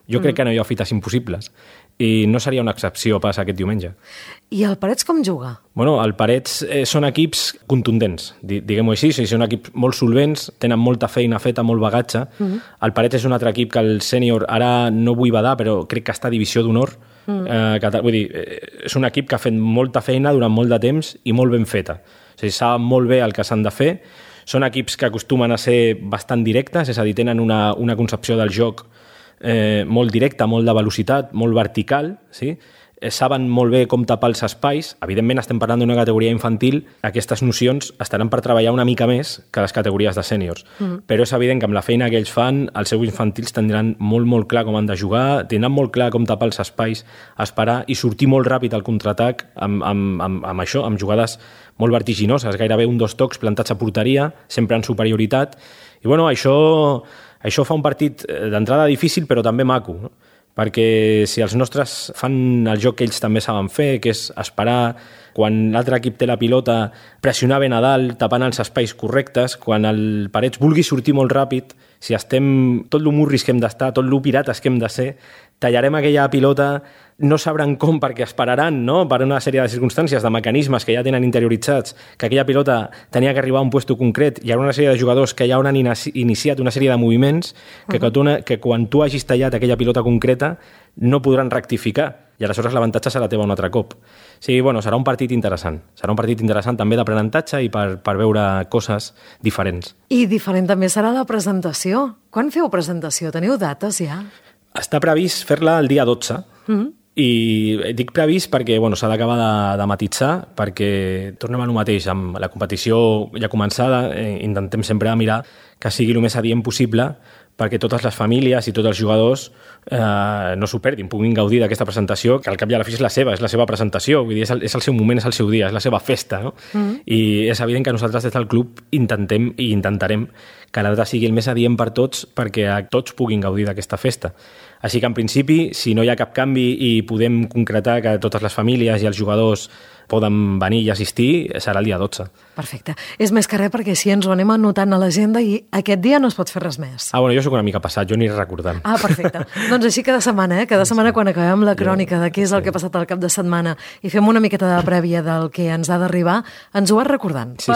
jo crec que no hi ha fites impossibles. I no seria una excepció pas aquest diumenge. I el Parets com juga? Bueno, el Parets són equips contundents, diguem-ho així, són equips molt solvents, tenen molta feina feta, molt bagatge. El Parets és un altre equip que el sènior, ara no vull badar, però crec que està a divisió d'honor. Vull dir, és un equip que ha fet molta feina durant molt de temps i molt ben feta. O sigui, saben molt bé el que s'han de fer. Són equips que acostumen a ser bastant directes, és a dir, tenen una concepció del joc molt directa, molt de velocitat, molt vertical, sí? Saben molt bé com tapar els espais. Evidentment estem parlant d'una categoria infantil, aquestes nocions estaran per treballar una mica més que les categories de sèniors, però és evident que amb la feina que ells fan, els seus infantils tindran molt, molt clar com han de jugar, tindran molt clar com tapar els espais, esperar i sortir molt ràpid al contraatac amb això, amb jugades molt vertiginoses, gairebé 1-2 tocs plantats a porteria, sempre en superioritat, i bueno, això fa un partit d'entrada difícil però també maco, no? Perquè si els nostres fan el joc que ells també saben fer, que és esperar quan l'altre equip té la pilota, pressionar ben a dalt, tapant els espais correctes, quan el Parets vulgui sortir molt ràpid, si estem tot l'humurris que hem d'estar, tot lo pirates que hem de ser, tallarem aquella pilota, no sabran com perquè esperaran, no? Per una sèrie de circumstàncies, de mecanismes que ja tenen interioritzats, que aquella pilota tenia que arribar a un puesto concret, hi ha una sèrie de jugadors que ja hauran iniciat una sèrie de moviments que quan tu hagis tallat aquella pilota concreta no podran rectificar, i aleshores l'avantatge serà teva un altre cop. Sí, bueno, serà un partit interessant. Serà un partit interessant també d'aprenentatge i per veure coses diferents. I diferent també serà la presentació. Quan feu presentació? Teniu dates ja? Està previst fer-la el dia 12, i dic previst perquè s'ha d'acabar de matitzar, perquè tornem a lo mateix, amb la competició ja començada, intentem sempre mirar que sigui el més adient possible, perquè totes les famílies i tots els jugadors no s'ho perdin, puguin gaudir d'aquesta presentació, que al cap i a la fi és la seva presentació, vull dir, és el seu moment, és el seu dia, és la seva festa, no? I és evident que nosaltres des del club intentem i intentarem que la data sigui el més adient per tots perquè tots puguin gaudir d'aquesta festa. Així que, en principi, si no hi ha cap canvi i podem concretar que totes les famílies i els jugadors poden venir i assistir, serà el dia 12. Perfecte. És més que res perquè així ens ho anem anotant a l'agenda i aquest dia no es pot fer res més. Bueno, jo soc una mica passat, jo aniré recordant. Perfecte. Doncs així cada setmana, Cada setmana quan acabem la crònica de què és el que ha passat al cap de setmana i fem una miqueta de prèvia del que ens ha d'arribar, ens ho vas recordant. Sí,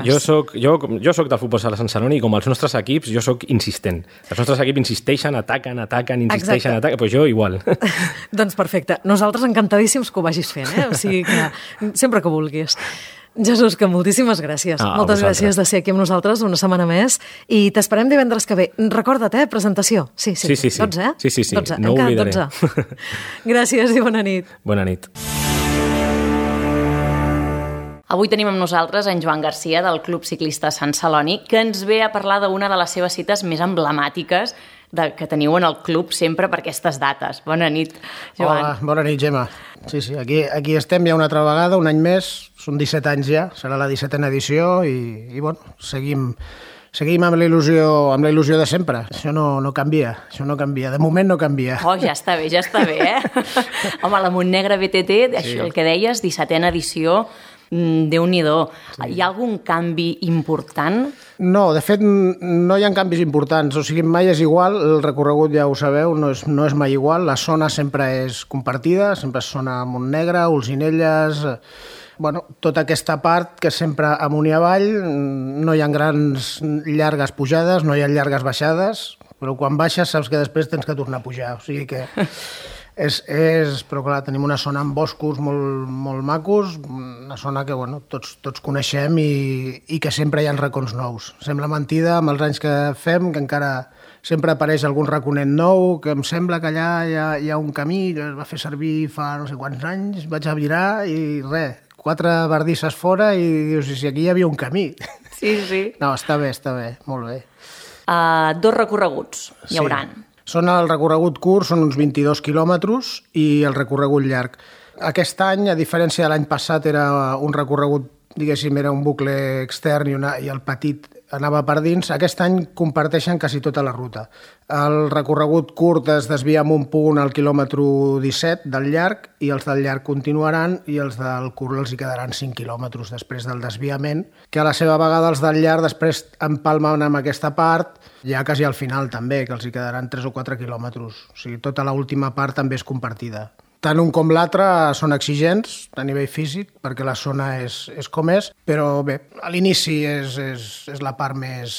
jo soc del futbol sala Sant Celoni i com els nostres equips, jo soc insistent. Els nostres equips insisteixen, ataquen, insisteixen, ataquen, doncs jo igual. Doncs perfecte. Nosaltres encantadíssims que ho vagis fent, O sigui que sempre que vulguis. Jesús, que moltíssimes gràcies. Moltes gràcies de ser aquí amb nosaltres una setmana més i t'esperem divendres que ve. Recorda't, presentació. Sí. 12, Sí, 12. No ho oblidaré. 12. Gràcies i bona nit. Bona nit. Avui tenim amb nosaltres en Joan Garcia del Club Ciclista Sant Celoni, que ens ve a parlar d'una de les seves cites més emblemàtiques que teniu en el club sempre per aquestes dates. Bona nit, Joan. Hola, bona nit, Gemma. Sí, aquí estem ja una altra vegada, un any més, són 17 anys ja, serà la 17a edició i bueno, seguim amb la il·lusió de sempre. Això no canvia, de moment no canvia. Ja està bé, Home, la Montnegra BTT, això el que deies, 17a edició, Déu-n'hi-do. Sí. Hi ha algun canvi important? No, de fet, no hi ha canvis importants. O sigui, mai és igual, el recorregut ja ho sabeu, no és mai igual. La zona sempre és compartida, sempre és zona Montnegra, Olzinelles... Bueno, tota aquesta part que sempre amunt i avall, no hi ha grans llargues pujades, no hi ha llargues baixades, però quan baixes saps que després tens que tornar a pujar. O sigui que... Però clar, tenim una zona amb boscos molt macos, una zona que bueno, tots coneixem i que sempre hi ha racons nous. Sembla mentida amb els anys que fem, que encara sempre apareix algun raconet nou, que em sembla que allà hi ha un camí que es va fer servir fa no sé quants anys, vaig a virar i res, 4 bardisses fora i dius, si aquí hi havia un camí. Sí. No, està bé, molt bé. 2 recorreguts hi hauran. Sí. El recorregut curt són uns 22 quilòmetres i el recorregut llarg. Aquest any, a diferència de l'any passat, era un recorregut, diguéssim, era un bucle extern i el petit anava per dins. Aquest any comparteixen quasi tota la ruta. El recorregut curt es desvia en un punt al quilòmetre 17 del llarg i els del llarg continuaran i els del curt els hi quedaran 5 quilòmetres després del desviament, que a la seva vegada els del llarg després empalmen amb aquesta part ja quasi al final també, que els hi quedaran 3 o 4 quilòmetres. O sigui, tota l'última part també és compartida. Tant un com l'altre són exigents a nivell físic, perquè la zona és com és, però bé, a l'inici és la part més...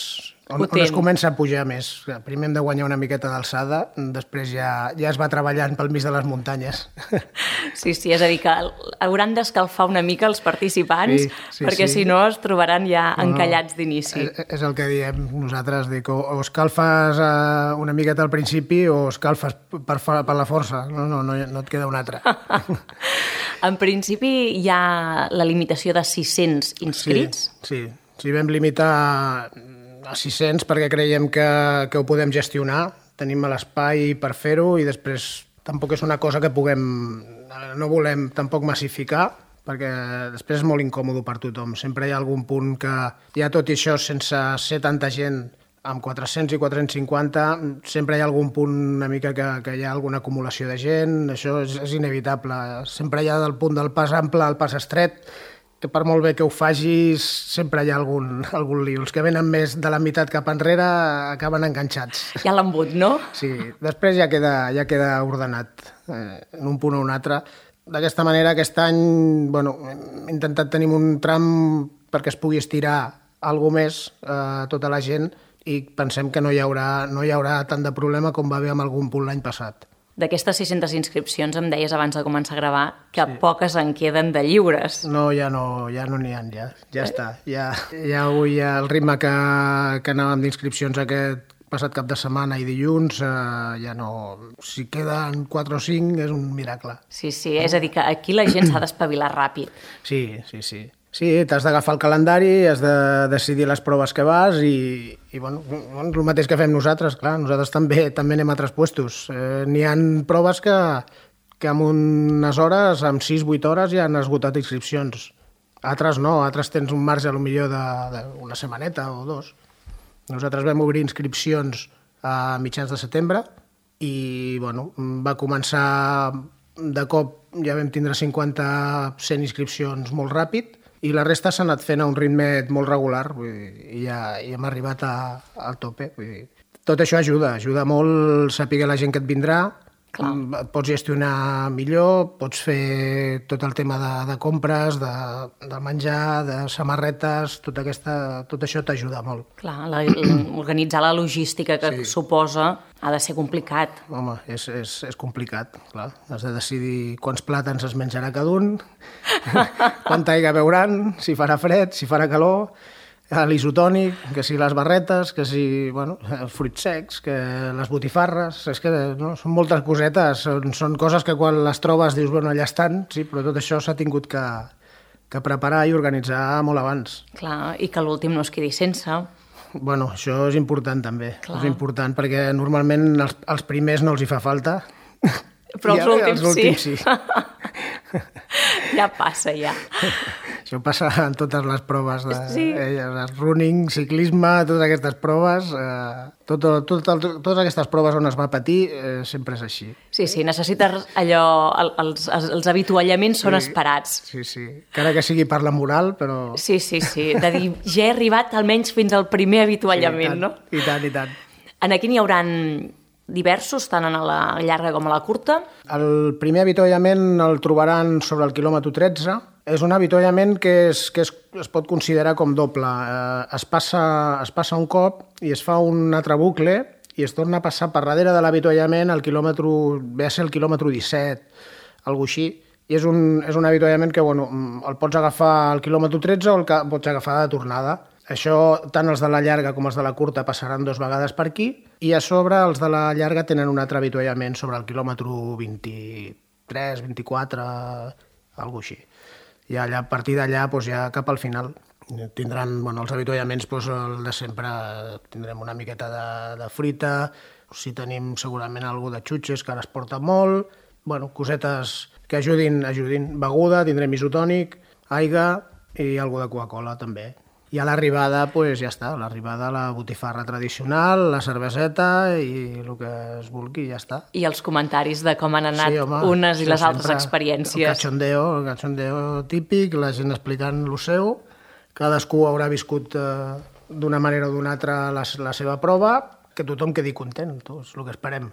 on es comença a pujar més. Primer hem de guanyar una miqueta d'alçada, després ja es va treballant pel mig de les muntanyes. Sí, és a dir, que hauran d'escalfar una mica els participants, perquè si no es trobaran ja encallats d'inici. És el que diem nosaltres, dic, o escalfes una miqueta al principi o escalfes per la força, no et queda una altra. En principi hi ha la limitació de 600 inscrits? Sí, vam limitar a 600 perquè creiem que ho podem gestionar, tenim l'espai per fer-ho i després tampoc és una cosa que no volem tampoc massificar perquè després és molt incòmode per tothom. Sempre hi ha algun punt que ja tot i això sense ser tanta gent amb 400 i 450 sempre hi ha algun punt una mica que hi ha alguna acumulació de gent, això és inevitable. Sempre hi ha del punt del pas ample al pas estret que per molt bé que ho facis, sempre hi ha algun lío. Els que venen més de la meitat cap enrere acaben enganxats. Hi ha l'embut, no? Sí, després ja queda ordenat en un punt o un altre. D'aquesta manera, aquest any hem intentat tenir un tram perquè es pugui estirar alguna més tota la gent i pensem que no hi haurà tant de problema com va haver amb algun punt l'any passat. D'aquestes 600 inscripcions em deies abans de començar a gravar que poques en queden de lliures. No, ja no n'hi ha, ja està. Ja avui el ritme que anàvem d'inscripcions aquest passat cap de setmana i dilluns, ja no... Si queden 4 o 5 és un miracle. Sí, és a dir, que aquí la gent s'ha d'espavilar ràpid. Sí. Sí, t'has d'agafar el calendari, has de decidir les proves que vas i bueno, el mateix que fem nosaltres, clar, nosaltres també anem a altres puestos. N'hi ha proves que en unes hores, en 6-8 hores, ja han esgotat inscripcions. Altres no, altres tens un marge potser d'una setmaneta o 2. Nosaltres vam obrir inscripcions a mitjans de setembre i bueno, va començar de cop, ja vam tindre 50-100 inscripcions molt ràpid i la resta s'ha anat fent a un ritme molt regular, vull dir, i ja hem arribat al tope. Vull dir. Tot això ajuda molt saber la gent que et vindrà. Clar. Et pots gestionar millor, pots fer tot el tema de compres, de menjar, de samarretes, tot això t'ajuda molt. Clar, organitzar la logística que suposa ha de ser complicat. Home, és complicat, clar. Has de decidir quants plàtans es menjarà cada un, quanta aigua beuran, si farà fred, si farà calor, l'isotònic, que si les barretes, que si els fruits secs, que les botifarres, és que són moltes cosetes, són coses que quan les trobes dius, allà estan, sí, però tot això s'ha tingut que preparar i organitzar molt abans. Clar, i que l'últim no es quedi sense. Bueno, això és important també, és important perquè normalment els primers no els hi fa falta, però els últims sí. Ja passa, ja. Això passa en totes les proves, running, ciclisme, totes aquestes proves, totes aquestes proves on es va patir, sempre és així. Sí, necessites allò, els avituallaments són esperats. Sí, encara que sigui per la moral, però... Sí, de dir, ja he arribat almenys fins al primer avituallament, no? I tant. Aquí n'hi haurà diversos, tant a la llarga com a la curta. El primer avituallament el trobaran sobre el quilòmetre 13. És un avituallament que es pot considerar com doble. Es passa un cop i es fa un altre bucle i es torna a passar per darrere de l'avituallament ve a ser el quilòmetre 17, alguna així. I és un avituallament que el pots agafar al quilòmetre 13 o el pots agafar de tornada. Això, tant els de la llarga com els de la curta passaran 2 vegades per aquí i a sobre els de la llarga tenen un altre avituallament sobre el quilòmetre 23, 24, alguna així. I a partir d'allà, ja cap al final, tindran els avituallaments, el de sempre, tindrem una miqueta de fruita, si tenim segurament alguna de xutxes, que ara es porta molt, cosetes que ajudin, beguda, tindrem isotònic, aigua i alguna de Coca-Cola també. I a l'arribada, ja està, a l'arribada la botifarra tradicional, la cerveseta i el que es vulgui, ja està. I els comentaris de com han anat unes i les altres experiències. El cachondeo típic, la gent explicant el seu, cadascú haurà viscut d'una manera o d'una altra la seva prova, que tothom quedi content, és el que esperem.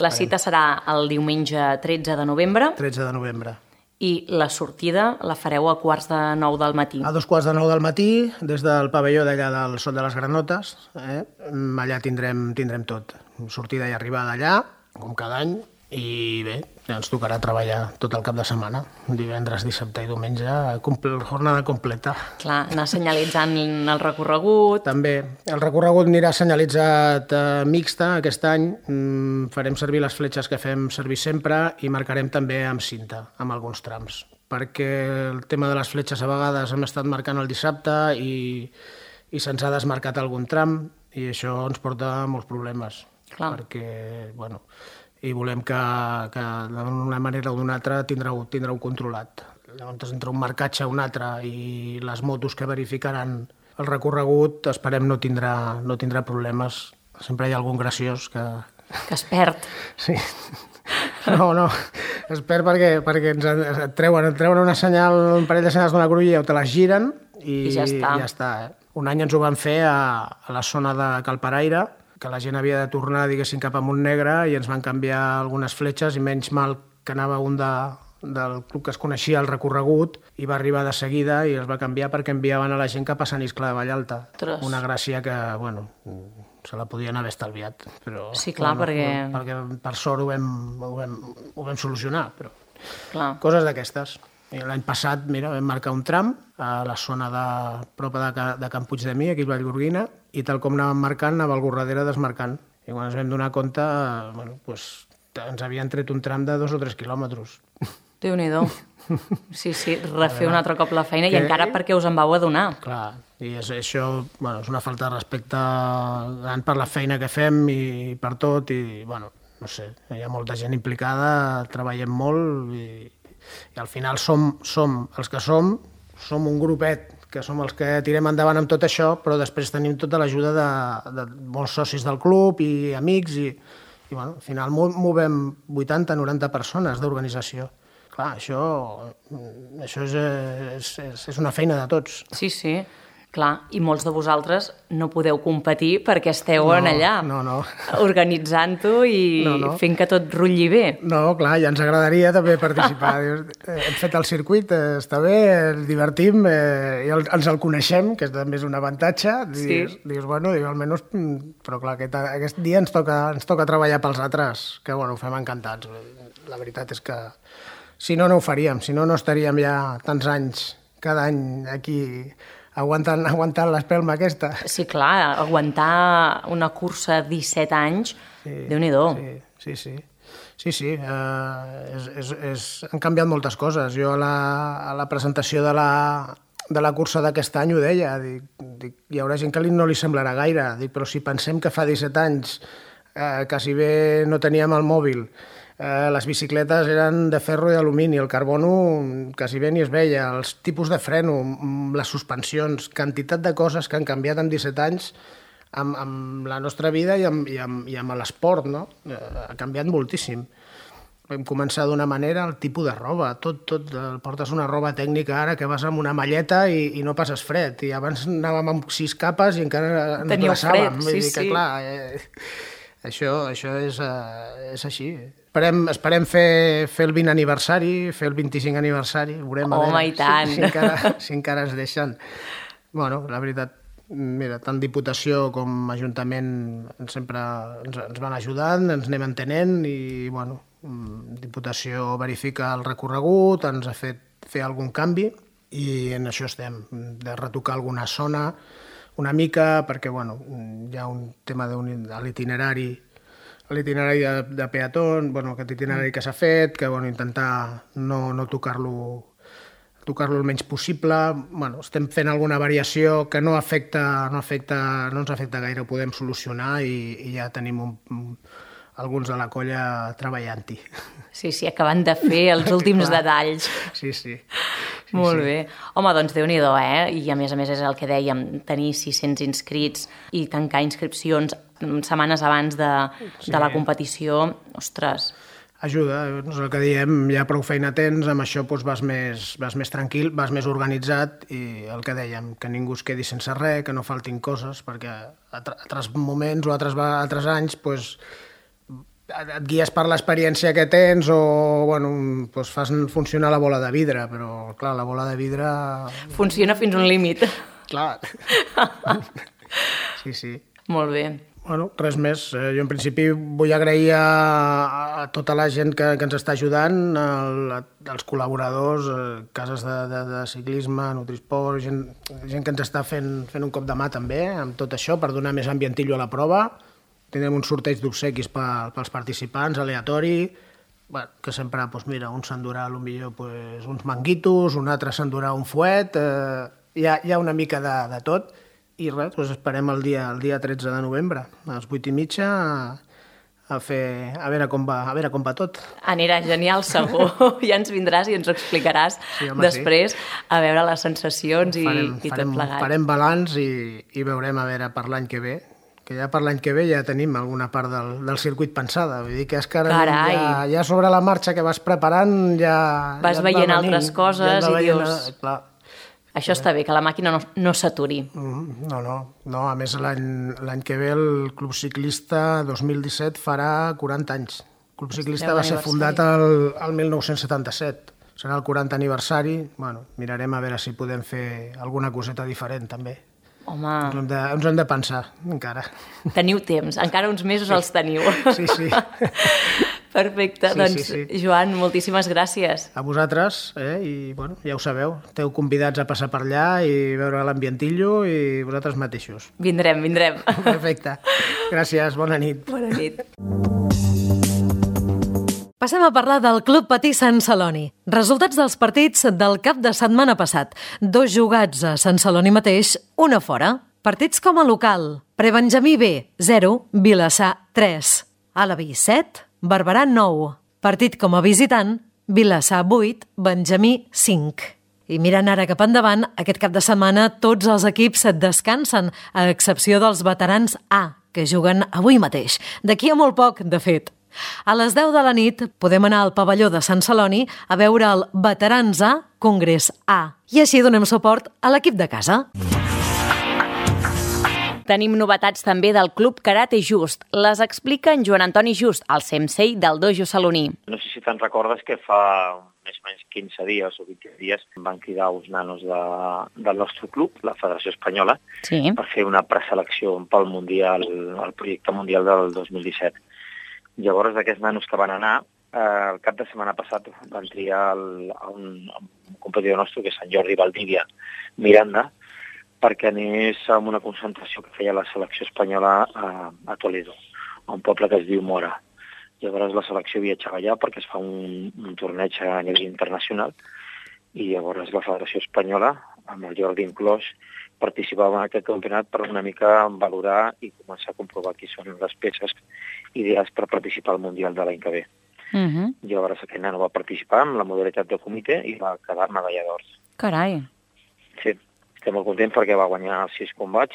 La cita serà el diumenge 13 de novembre. 13 de novembre. I la sortida la fareu a 8:45 del matí. A 2:45 del matí, des del pavelló d'allà del Sot de les Granotes. Allà tindrem tot. Sortida i arribada allà, com cada any, i bé, ens tocarà treballar tot el cap de setmana. Divendres, dissabte i diumenge, jornada completa. Clar, anar senyalitzant el recorregut. També. El recorregut anirà senyalitzat mixta aquest any. Farem servir les fletxes que fem servir sempre i marcarem també amb cinta, amb alguns trams. Perquè el tema de les fletxes a vegades hem estat marcant el dissabte i se'ns ha desmarcat algun tram i això ens porta molts problemes. Clar. Perquè, i volem que d'una manera o d'una altra tindreu controlat. Llavors, entre un marcatge o un altre i les motos que verificaran el recorregut, esperem no tindrà problemes. Sempre hi ha algun graciós que es perd. Sí. No, es perd perquè ens treuen una senyal, un parell de senyals d'una cruïlla o te les giren i ja està. Un any ens ho van fer a la zona de Cal Paraire, que la gent havia de tornar, diguéssim, cap a Montnegre i ens van canviar algunes fletxes i menys mal que anava un del club que es coneixia el recorregut i va arribar de seguida i es va canviar perquè enviaven a la gent cap a Sant Iscle de Vallalta. Una gràcia que, se la podien haver estalviat. Però, sí, clar, perquè per sort ho vam solucionar, però clar. Coses d'aquestes. L'any passat, vam marcar un tram a la zona prop de Can Puigdemí, aquí a Vallgorguina, i tal com anàvem marcant, anava el Gorradera desmarcant. I quan ens vam donar compte, ens havien tret un tram de 2 o 3 quilòmetres. Déu-n'hi-do. Sí, refer un altre cop la feina i encara perquè us en vau adonar. Clar, I això és una falta de respecte gran per la feina que fem i per tot, i no sé, hi ha molta gent implicada, treballem molt i al final som els que som un grupet que som els que tirem endavant amb tot això, però després tenim tota l'ajuda de molts socis del club i amics i al final movem 80-90 persones d'organització. Clar, això és una feina de tots. Sí, sí. Clar, i molts de vosaltres no podeu competir perquè esteu allà, organitzant-ho i fent que tot rutlli bé. No, clar, ja ens agradaria també participar. Hem fet el circuit, està bé, ens divertim, i ens el coneixem, que també és un avantatge. Dius, almenys... Però clar, aquest dia ens toca treballar pels altres, que ho fem encantats. La veritat és que si no ho faríem, si no estaríem ja tants anys, cada any aquí... aguantant l'espelma aquesta. Sí, clar, aguantar una cursa 17 anys, Déu-n'hi-do. Sí. Han canviat moltes coses. Jo a la presentació de la cursa d'aquest any ho deia. Dic, hi haurà gent que no li semblarà gaire, però si pensem que fa 17 anys que si bé no teníem el mòbil, les bicicletes eren de ferro i d'alumini, el carbono quasi bé ni es veia, els tipus de freno, les suspensions, quantitat de coses que han canviat en 17 anys amb la nostra vida i amb l'esport, no? Ha canviat moltíssim. Vam començar d'una manera, el tipus de roba, tot, portes una roba tècnica ara que vas amb una malleta i no passes fred, i abans anàvem amb 6 capes i encara ens glaçàvem. Teníeu fred, sí. Clar, això és així. Esperem fer el 20 aniversari, fer el 25 aniversari, veurem a veure i tant. Si encara ens deixen. La veritat, mira, tant Diputació com Ajuntament sempre ens van ajudant, ens anem entenent i, Diputació verifica el recorregut, ens ha fet fer algun canvi i en això estem, de retocar alguna zona una mica, perquè, hi ha un tema de l'itinerari de peatón, aquest itinerari que s'ha fet, que intentar no tocar-lo el menys possible. Estem fent alguna variació que no ens afecta gaire, ho podem solucionar i ja tenim alguns de la colla treballant-hi. Sí, acabant de fer els últims detalls. Sí. Molt bé. Home, doncs Déu-n'hi-do, I a més és el que dèiem, tenir 600 inscrits i tancar inscripcions setmanes abans de la competició, ostres. Ajuda, és el que diem, ja prou feina tens, amb això vas més tranquil, vas més organitzat i el que dèiem, que ningú es quedi sense res, que no faltin coses, perquè altres moments o altres anys et guies per l'experiència que tens o fas funcionar la bola de vidre, però clar, la bola de vidre... Funciona fins un límit. Clar. Sí. Molt bé. Res més. Jo en principi vull agrair a tota la gent que ens està ajudant, als col·laboradors, cases de ciclisme, Nutrisport, gent que ens està fent un cop de mà també amb tot això per donar més ambientillo a la prova. Tindrem un sorteig d'obsequis pels participants, aleatori, que sempre, un s'endurà potser uns manguitos, un altre s'endurà un fuet, hi ha una mica de tot. I res, esperem el dia 13 de novembre, a les 8:30, a veure com va tot. Anirà genial, segur. Ja ens vindràs i ens ho explicaràs després, a veure les sensacions i tot plegat. Farem balanç i veurem a veure per l'any que ve, que ja per l'any que ve ja tenim alguna part del circuit pensada. Vull dir que és que ara ja sobre la marxa que vas preparant ja... Vas veient altres coses i dius... Clar. Això està bé, que la màquina no s'aturi. No, a més l'any que ve el Club Ciclista 2017 farà 40 anys. El Club Ciclista va ser fundat el 1977. Serà el 40 aniversari. Mirarem a veure si podem fer alguna coseta diferent també. Home... Ens hem de pensar, encara. Teniu temps, encara uns mesos els teniu. Sí. Perfecte, sí. Joan, moltíssimes gràcies. A vosaltres, i ja ho sabeu, esteu convidats a passar per allà i veure l'ambientillo i vosaltres mateixos. Vindrem. Perfecte. Gràcies, bona nit. Bona nit. Passem a parlar del Club Patí Sant Celoni. Resultats dels partits del cap de setmana passat. 2 jugats a Sant Celoni mateix, 1 a fora. Partits com a local. Prebenjamí B, 0, Vilassar 3. Alaví 7, Barberà 9. Partit com a visitant, Vilassar 8, Benjamí 5. I mirant ara cap endavant, aquest cap de setmana tots els equips descansen, a excepció dels veterans A, que juguen avui mateix. D'aquí a molt poc, de fet. A les 10 de la nit podem anar al pavelló de Sant Celoni a veure el Veterans A, Congrés A. I així donem suport a l'equip de casa. Tenim novetats també del Club Karate Just. Les explica en Joan Antoni Just, el sensei del dojo saloní. No sé si te'n recordes que fa més o menys 15 dies o 20 dies van cridar uns nanos del nostre club, la Federació Espanyola, per fer una preselecció pel Mundial, el projecte mundial del 2017. Llavors, d'aquests nanos que van anar, el cap de setmana passat van triar un competidor nostre, que és en Jordi Valdivia Miranda, perquè anés a una concentració que feia la selecció espanyola a Toledo, a un poble que es diu Mora. Llavors la selecció viatjava allà perquè es fa un torneig a nivell internacional i llavors la Federació Espanyola, amb el Jordi inclòs, participava en aquest campionat per una mica valorar i començar a comprovar qui són les peces ideals per participar al Mundial de l'any que ve. Llavors aquest nano va participar amb la modalitat de comitè i va quedar medalla d'or. Carai! Sí, estem molt contents perquè va guanyar els 6 combats.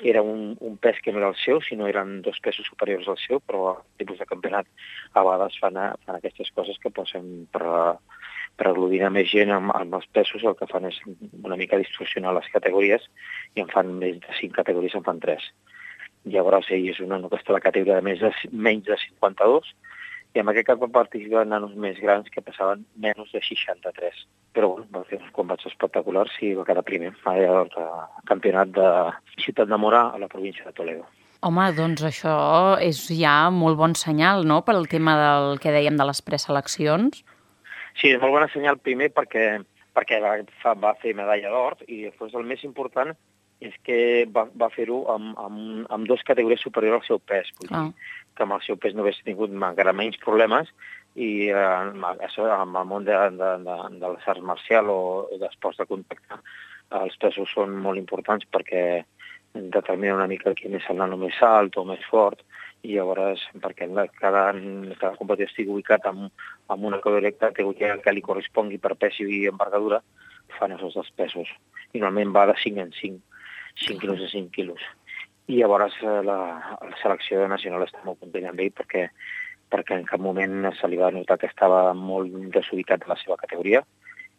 Era un pes que no era el seu, sinó eren 2 pesos superiors al seu, però el tipus de campionat a vegades fan aquestes coses que posen per aglutinar més gent amb els pesos. El que fan és una mica distorsionar les categories i en fan més de 5 categories, en fan 3. Llavors ell és un nano que està a la categoria de menys de 52 i en aquest cap va participar nanos més grans que passaven menys de 63. Però bueno, va fer uns combats espectaculars i va quedar primer al campionat de Ciutat de Mora a la província de Toledo. Home, doncs això és ja molt bon senyal, no?, per al tema del que dèiem de les preseleccions. Sí, és molt bon senyal primer perquè va fer medalla d'or i després el més important és que va fer-ho amb 2 categories superiors al seu pes. Vull dir que amb el seu pes no hagués tingut encara menys problemes i amb el món de les arts marcials o d'esports de contacte els pesos són molt importants perquè determina una mica quin és el nano més alt o més fort i llavors perquè cada competidor estigui ubicat en una categoria que li correspongui per pes i envergadura fan aquests 2 pesos. I normalment va de 5 en 5, 5 quilos a 5 quilos. I llavors la selecció nacional està molt content amb ell perquè en cap moment se li va notar que estava molt desubicat a la seva categoria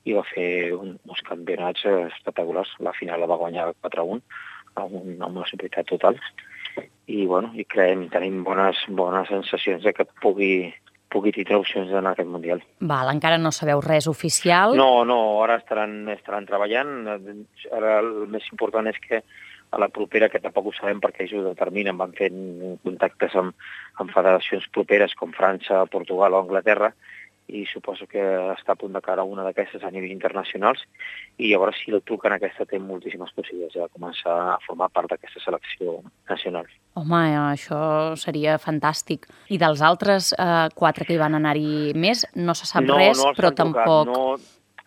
i va fer uns campionats espectaculars. La final la va guanyar 4-1 amb una superioritat total. I tenim bones sensacions de que pugui tindre opcions d'anar a aquest Mundial. Val, encara no sabeu res oficial? No, ara estaran treballant. Ara el més important és que a la propera, que tampoc ho sabem perquè ells ho determinen, van fent contactes amb federacions properes com França, Portugal o Anglaterra, i suposo que està a punt de cara una d'aquestes a nivell internacionals, i llavors si el truquen aquesta té moltíssimes possibilitats de començar a formar part d'aquesta selecció nacional. Home, això seria fantàstic. I dels altres 4 que hi van anar-hi més, no se sap res, però tampoc... No,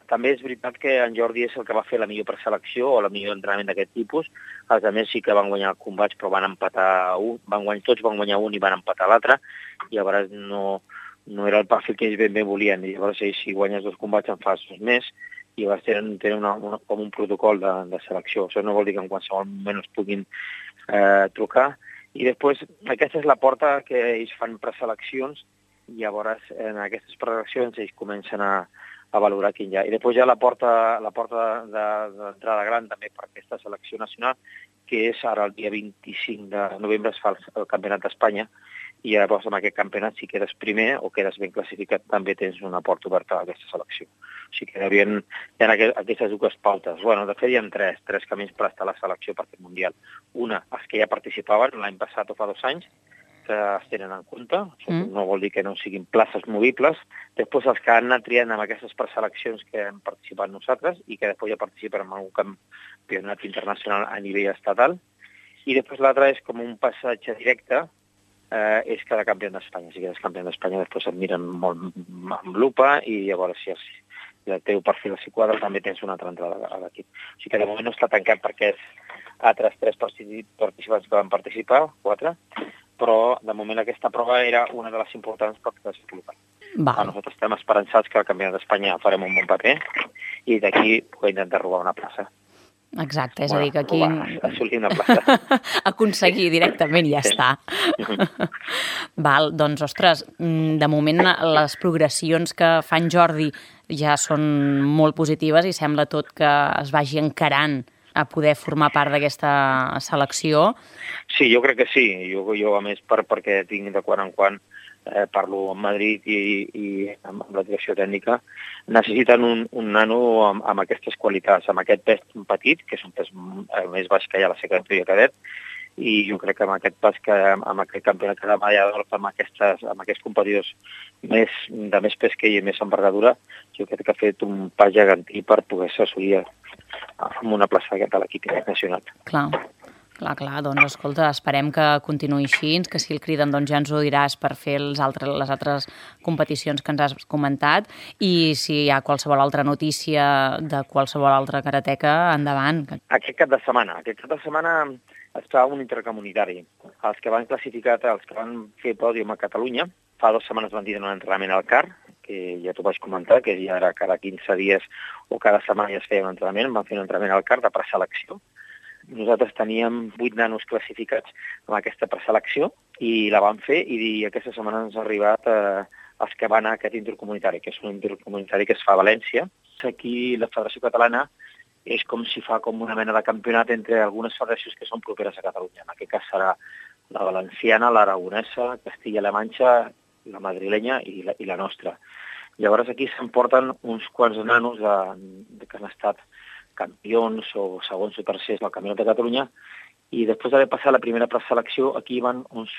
també és veritat que en Jordi és el que va fer la millor preselecció o la millor entrenament d'aquest tipus. Els altres sí que van guanyar combats, però van empatar tots van guanyar un i van empatar l'altre, i llavors no era el perfil que ells ben volien. I llavors ells, si guanyes 2 combats en fas 2 més, i llavors tenen com un protocol de selecció. Això no vol dir que en qualsevol moment es puguin trucar. I després, aquesta és la porta que ells fan preseleccions, i llavors en aquestes preseleccions ells comencen a valorar quin hi ha. I després hi ha la porta d'entrada gran també per aquesta selecció nacional, que és ara el dia 25 de novembre es fa el Campionat d'Espanya, i llavors en aquest campionat, si quedes primer o quedes ben classificat, també tens una porta oberta a aquesta selecció. O sigui que hi ha aquestes 2 pautes. De fet, hi ha 3 camins per estar a la selecció per aquest Mundial. Una, els que ja participaven l'any passat o fa 2 anys, que es tenen en compte, no vol dir que no siguin places movibles. Després els que han anat triant amb aquestes preseleccions que hem participat nosaltres i que després ja participen en algun campionat internacional a nivell estatal. I després l'altre és com un passatge directe és quedar campió d'Espanya. Si quedes campió d'Espanya, després et miren molt amb lupa i llavors si el teu perfil s'hi quadra també tens una altra entrada a l'equip. O sigui que de moment no està tancat perquè és altres 3 participants que van participar, 4, però de moment aquesta prova era una de les importants per desenvolupar. Nosaltres estem esperançats que al Campionat d'Espanya farem un bon paper i d'aquí puc intentar robar una plaça. Exacte, és a dir que aquí... Assolir una plaça. Aconseguir directament i ja està. Val, doncs, ostres, de moment les progressions que fa en Jordi ja són molt positives i sembla tot que es vagi encarant a poder formar part d'aquesta selecció. Sí, jo crec que sí. Jo a més, perquè tinc de quan en quan parlo amb Madrid i amb la direcció tècnica, necessiten un nano amb aquestes qualitats, amb aquest pes petit, que és un pes més baix que hi ha a la categoria cadet, i jo crec que amb aquest pas amb aquest campionat de medalla d'or, amb aquests competidors de més pes que ell i més envergadura, jo crec que ha fet un pas gegantí per poder-se assolir amb una plaça de l'equip nacional. Clar, doncs escolta, esperem que continuï així, que si el criden doncs ja ens ho diràs per fer les altres competicions que ens has comentat i si hi ha qualsevol altra notícia de qualsevol altra karateca, endavant. Aquest cap de setmana es fa un intercomunitari. Els que van classificar, els que van fer pòdium a Catalunya, fa 2 setmanes van dir un entrenament al CAR, que ja t'ho vaig comentar, que ja era cada 15 dies o cada setmana ja es feia un entrenament, van fer un entrenament al CAR de preselecció. Nosaltres teníem 8 nanos classificats amb aquesta preselecció i la vam fer i aquesta setmana ens ha arribat els que van a aquest intercomunitari, que és un intercomunitari que es fa a València. Aquí la Federació Catalana és com si fa com una mena de campionat entre algunes federacions que són properes a Catalunya. En aquest cas serà la valenciana, l'aragonesa, Castilla-La Manxa, la madrilenya i la nostra. Llavors aquí s'emporten uns quants nanos que han estat campions o segons o tercers del Campionat de Catalunya i després d'haver passat la primera preselecció aquí van uns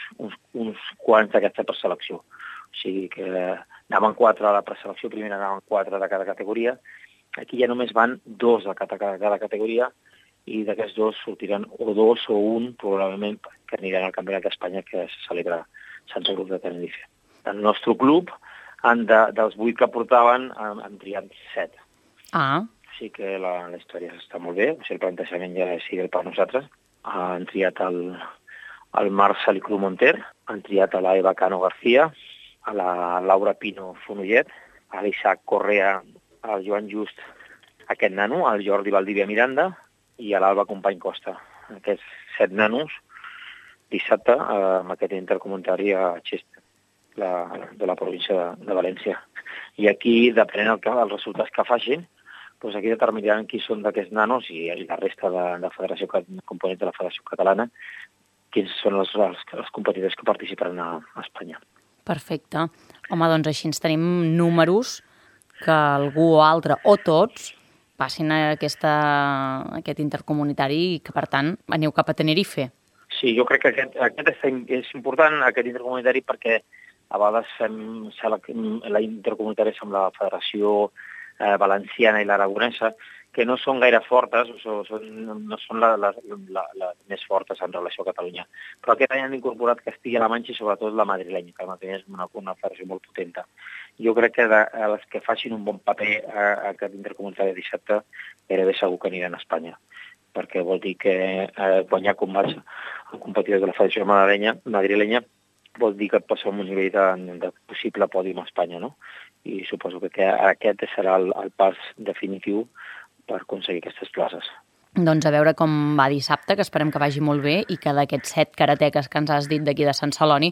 quants d'aquesta preselecció. O sigui que anaven 4 a la preselecció, primera anaven 4 de cada categoria. Aquí ja només van 2 de cada categoria i d'aquests 2 sortiran o 2 o 1 probablement que aniran al Campionat d'Espanya que se celebra a Santa Cruz de Tenerife. El nostre club, dels 8 que portaven, han triat 7. Sí que la història està molt bé, el plantejament ja és ideal per nosaltres. Han triat el Marc Salicru Monter, han triat a la Eva Cano García, a la Laura Pino Fonollet, a l'Isaac Correa, al Joan Just, aquest nano, al Jordi Valdivia Miranda i a l'Alba Company Costa. Aquests 7 nanos dissabte amb aquest intercomunitari a Xesta, de la província de València. I aquí, depenent dels resultats que facin, doncs aquí determinaran qui són d'aquests nanos i la resta de federació component de la Federació Catalana quins són els competidors que participaran a Espanya. Perfecte. Home, doncs així ens tenim números que algú o altre, o tots, passin a aquest intercomunitari i que, per tant, aneu cap a Tenerife. Sí, jo crec que aquest és important, aquest intercomunitari, perquè a vegades fem la intercomunitari amb la Federació Valenciana i l'Aragonesa, que no són gaire fortes, no són les més fortes en relació a Catalunya. Però aquest any han incorporat Castilla-La Manxa i sobretot la madrilenya, que la madrilenya és una federació molt potenta. Jo crec que els que facin un bon paper a aquest intercomunitari de dissabte gairebé segur que aniran a Espanya, perquè vol dir que guanyar combats amb competidors de la federació madrilenya vol dir que passa un nivell de possible pòdium a Espanya, no? I suposo que aquest serà el pas definitiu per aconseguir aquestes places. Doncs a veure com va dissabte, que esperem que vagi molt bé i que d'aquests 7 karateques que ens has dit d'aquí de Sant Celoni,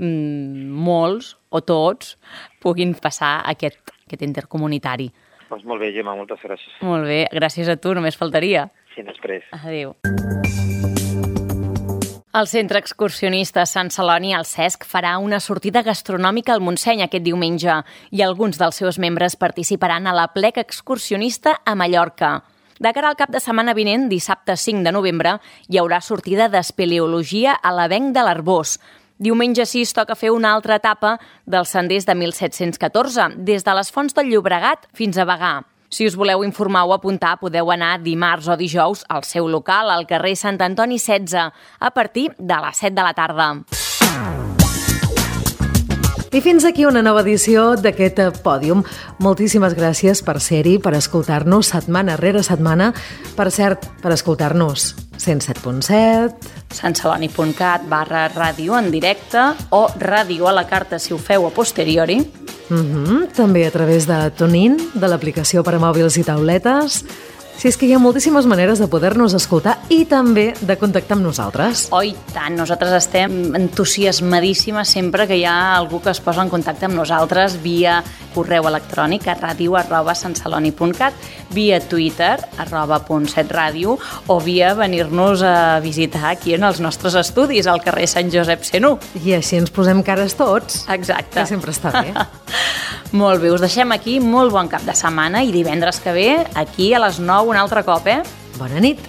molts o tots puguin passar aquest intercomunitari. Doncs molt bé, Gemma, moltes gràcies. Molt bé, gràcies a tu, només faltaria. Sí, després. Adéu. El Centre Excursionista Sant Celoni, el CESC, farà una sortida gastronòmica al Montseny aquest diumenge i alguns dels seus membres participaran a la Plec Excursionista a Mallorca. De cara al cap de setmana vinent, dissabte 5 de novembre, hi haurà sortida d'espeleologia a l'Avenc de l'Arbós. Diumenge 6 toca fer una altra etapa dels senders de 1714, des de les Fonts del Llobregat fins a Bagà. Si us voleu informar o apuntar, podeu anar dimarts o dijous al seu local, al carrer Sant Antoni 16, a partir de les 7 de la tarda. I fins aquí una nova edició d'aquest Pòdium. Moltíssimes gràcies per ser-hi, per escoltar-nos setmana rere setmana. Per cert, per escoltar-nos 107.7... santceloni.cat/ràdio en directe o ràdio a la carta si ho feu a posteriori. També a través de TuneIn, de l'aplicació per a mòbils i tauletes. Si és que hi ha moltíssimes maneres de poder-nos escoltar i també de contactar amb nosaltres. Oh, i tant, nosaltres estem entusiasmadíssimes sempre que hi ha algú que es posa en contacte amb nosaltres via correu electrònic a radio@santceloni.cat, via Twitter, @.7radio, o via venir-nos a visitar aquí en els nostres estudis, al carrer Sant Josep 101. I així ens posem cares tots. Exacte. Que sempre està bé. Molt bé, us deixem aquí, molt bon cap de setmana i divendres que ve, aquí a les 9 un altre cop, Bona nit.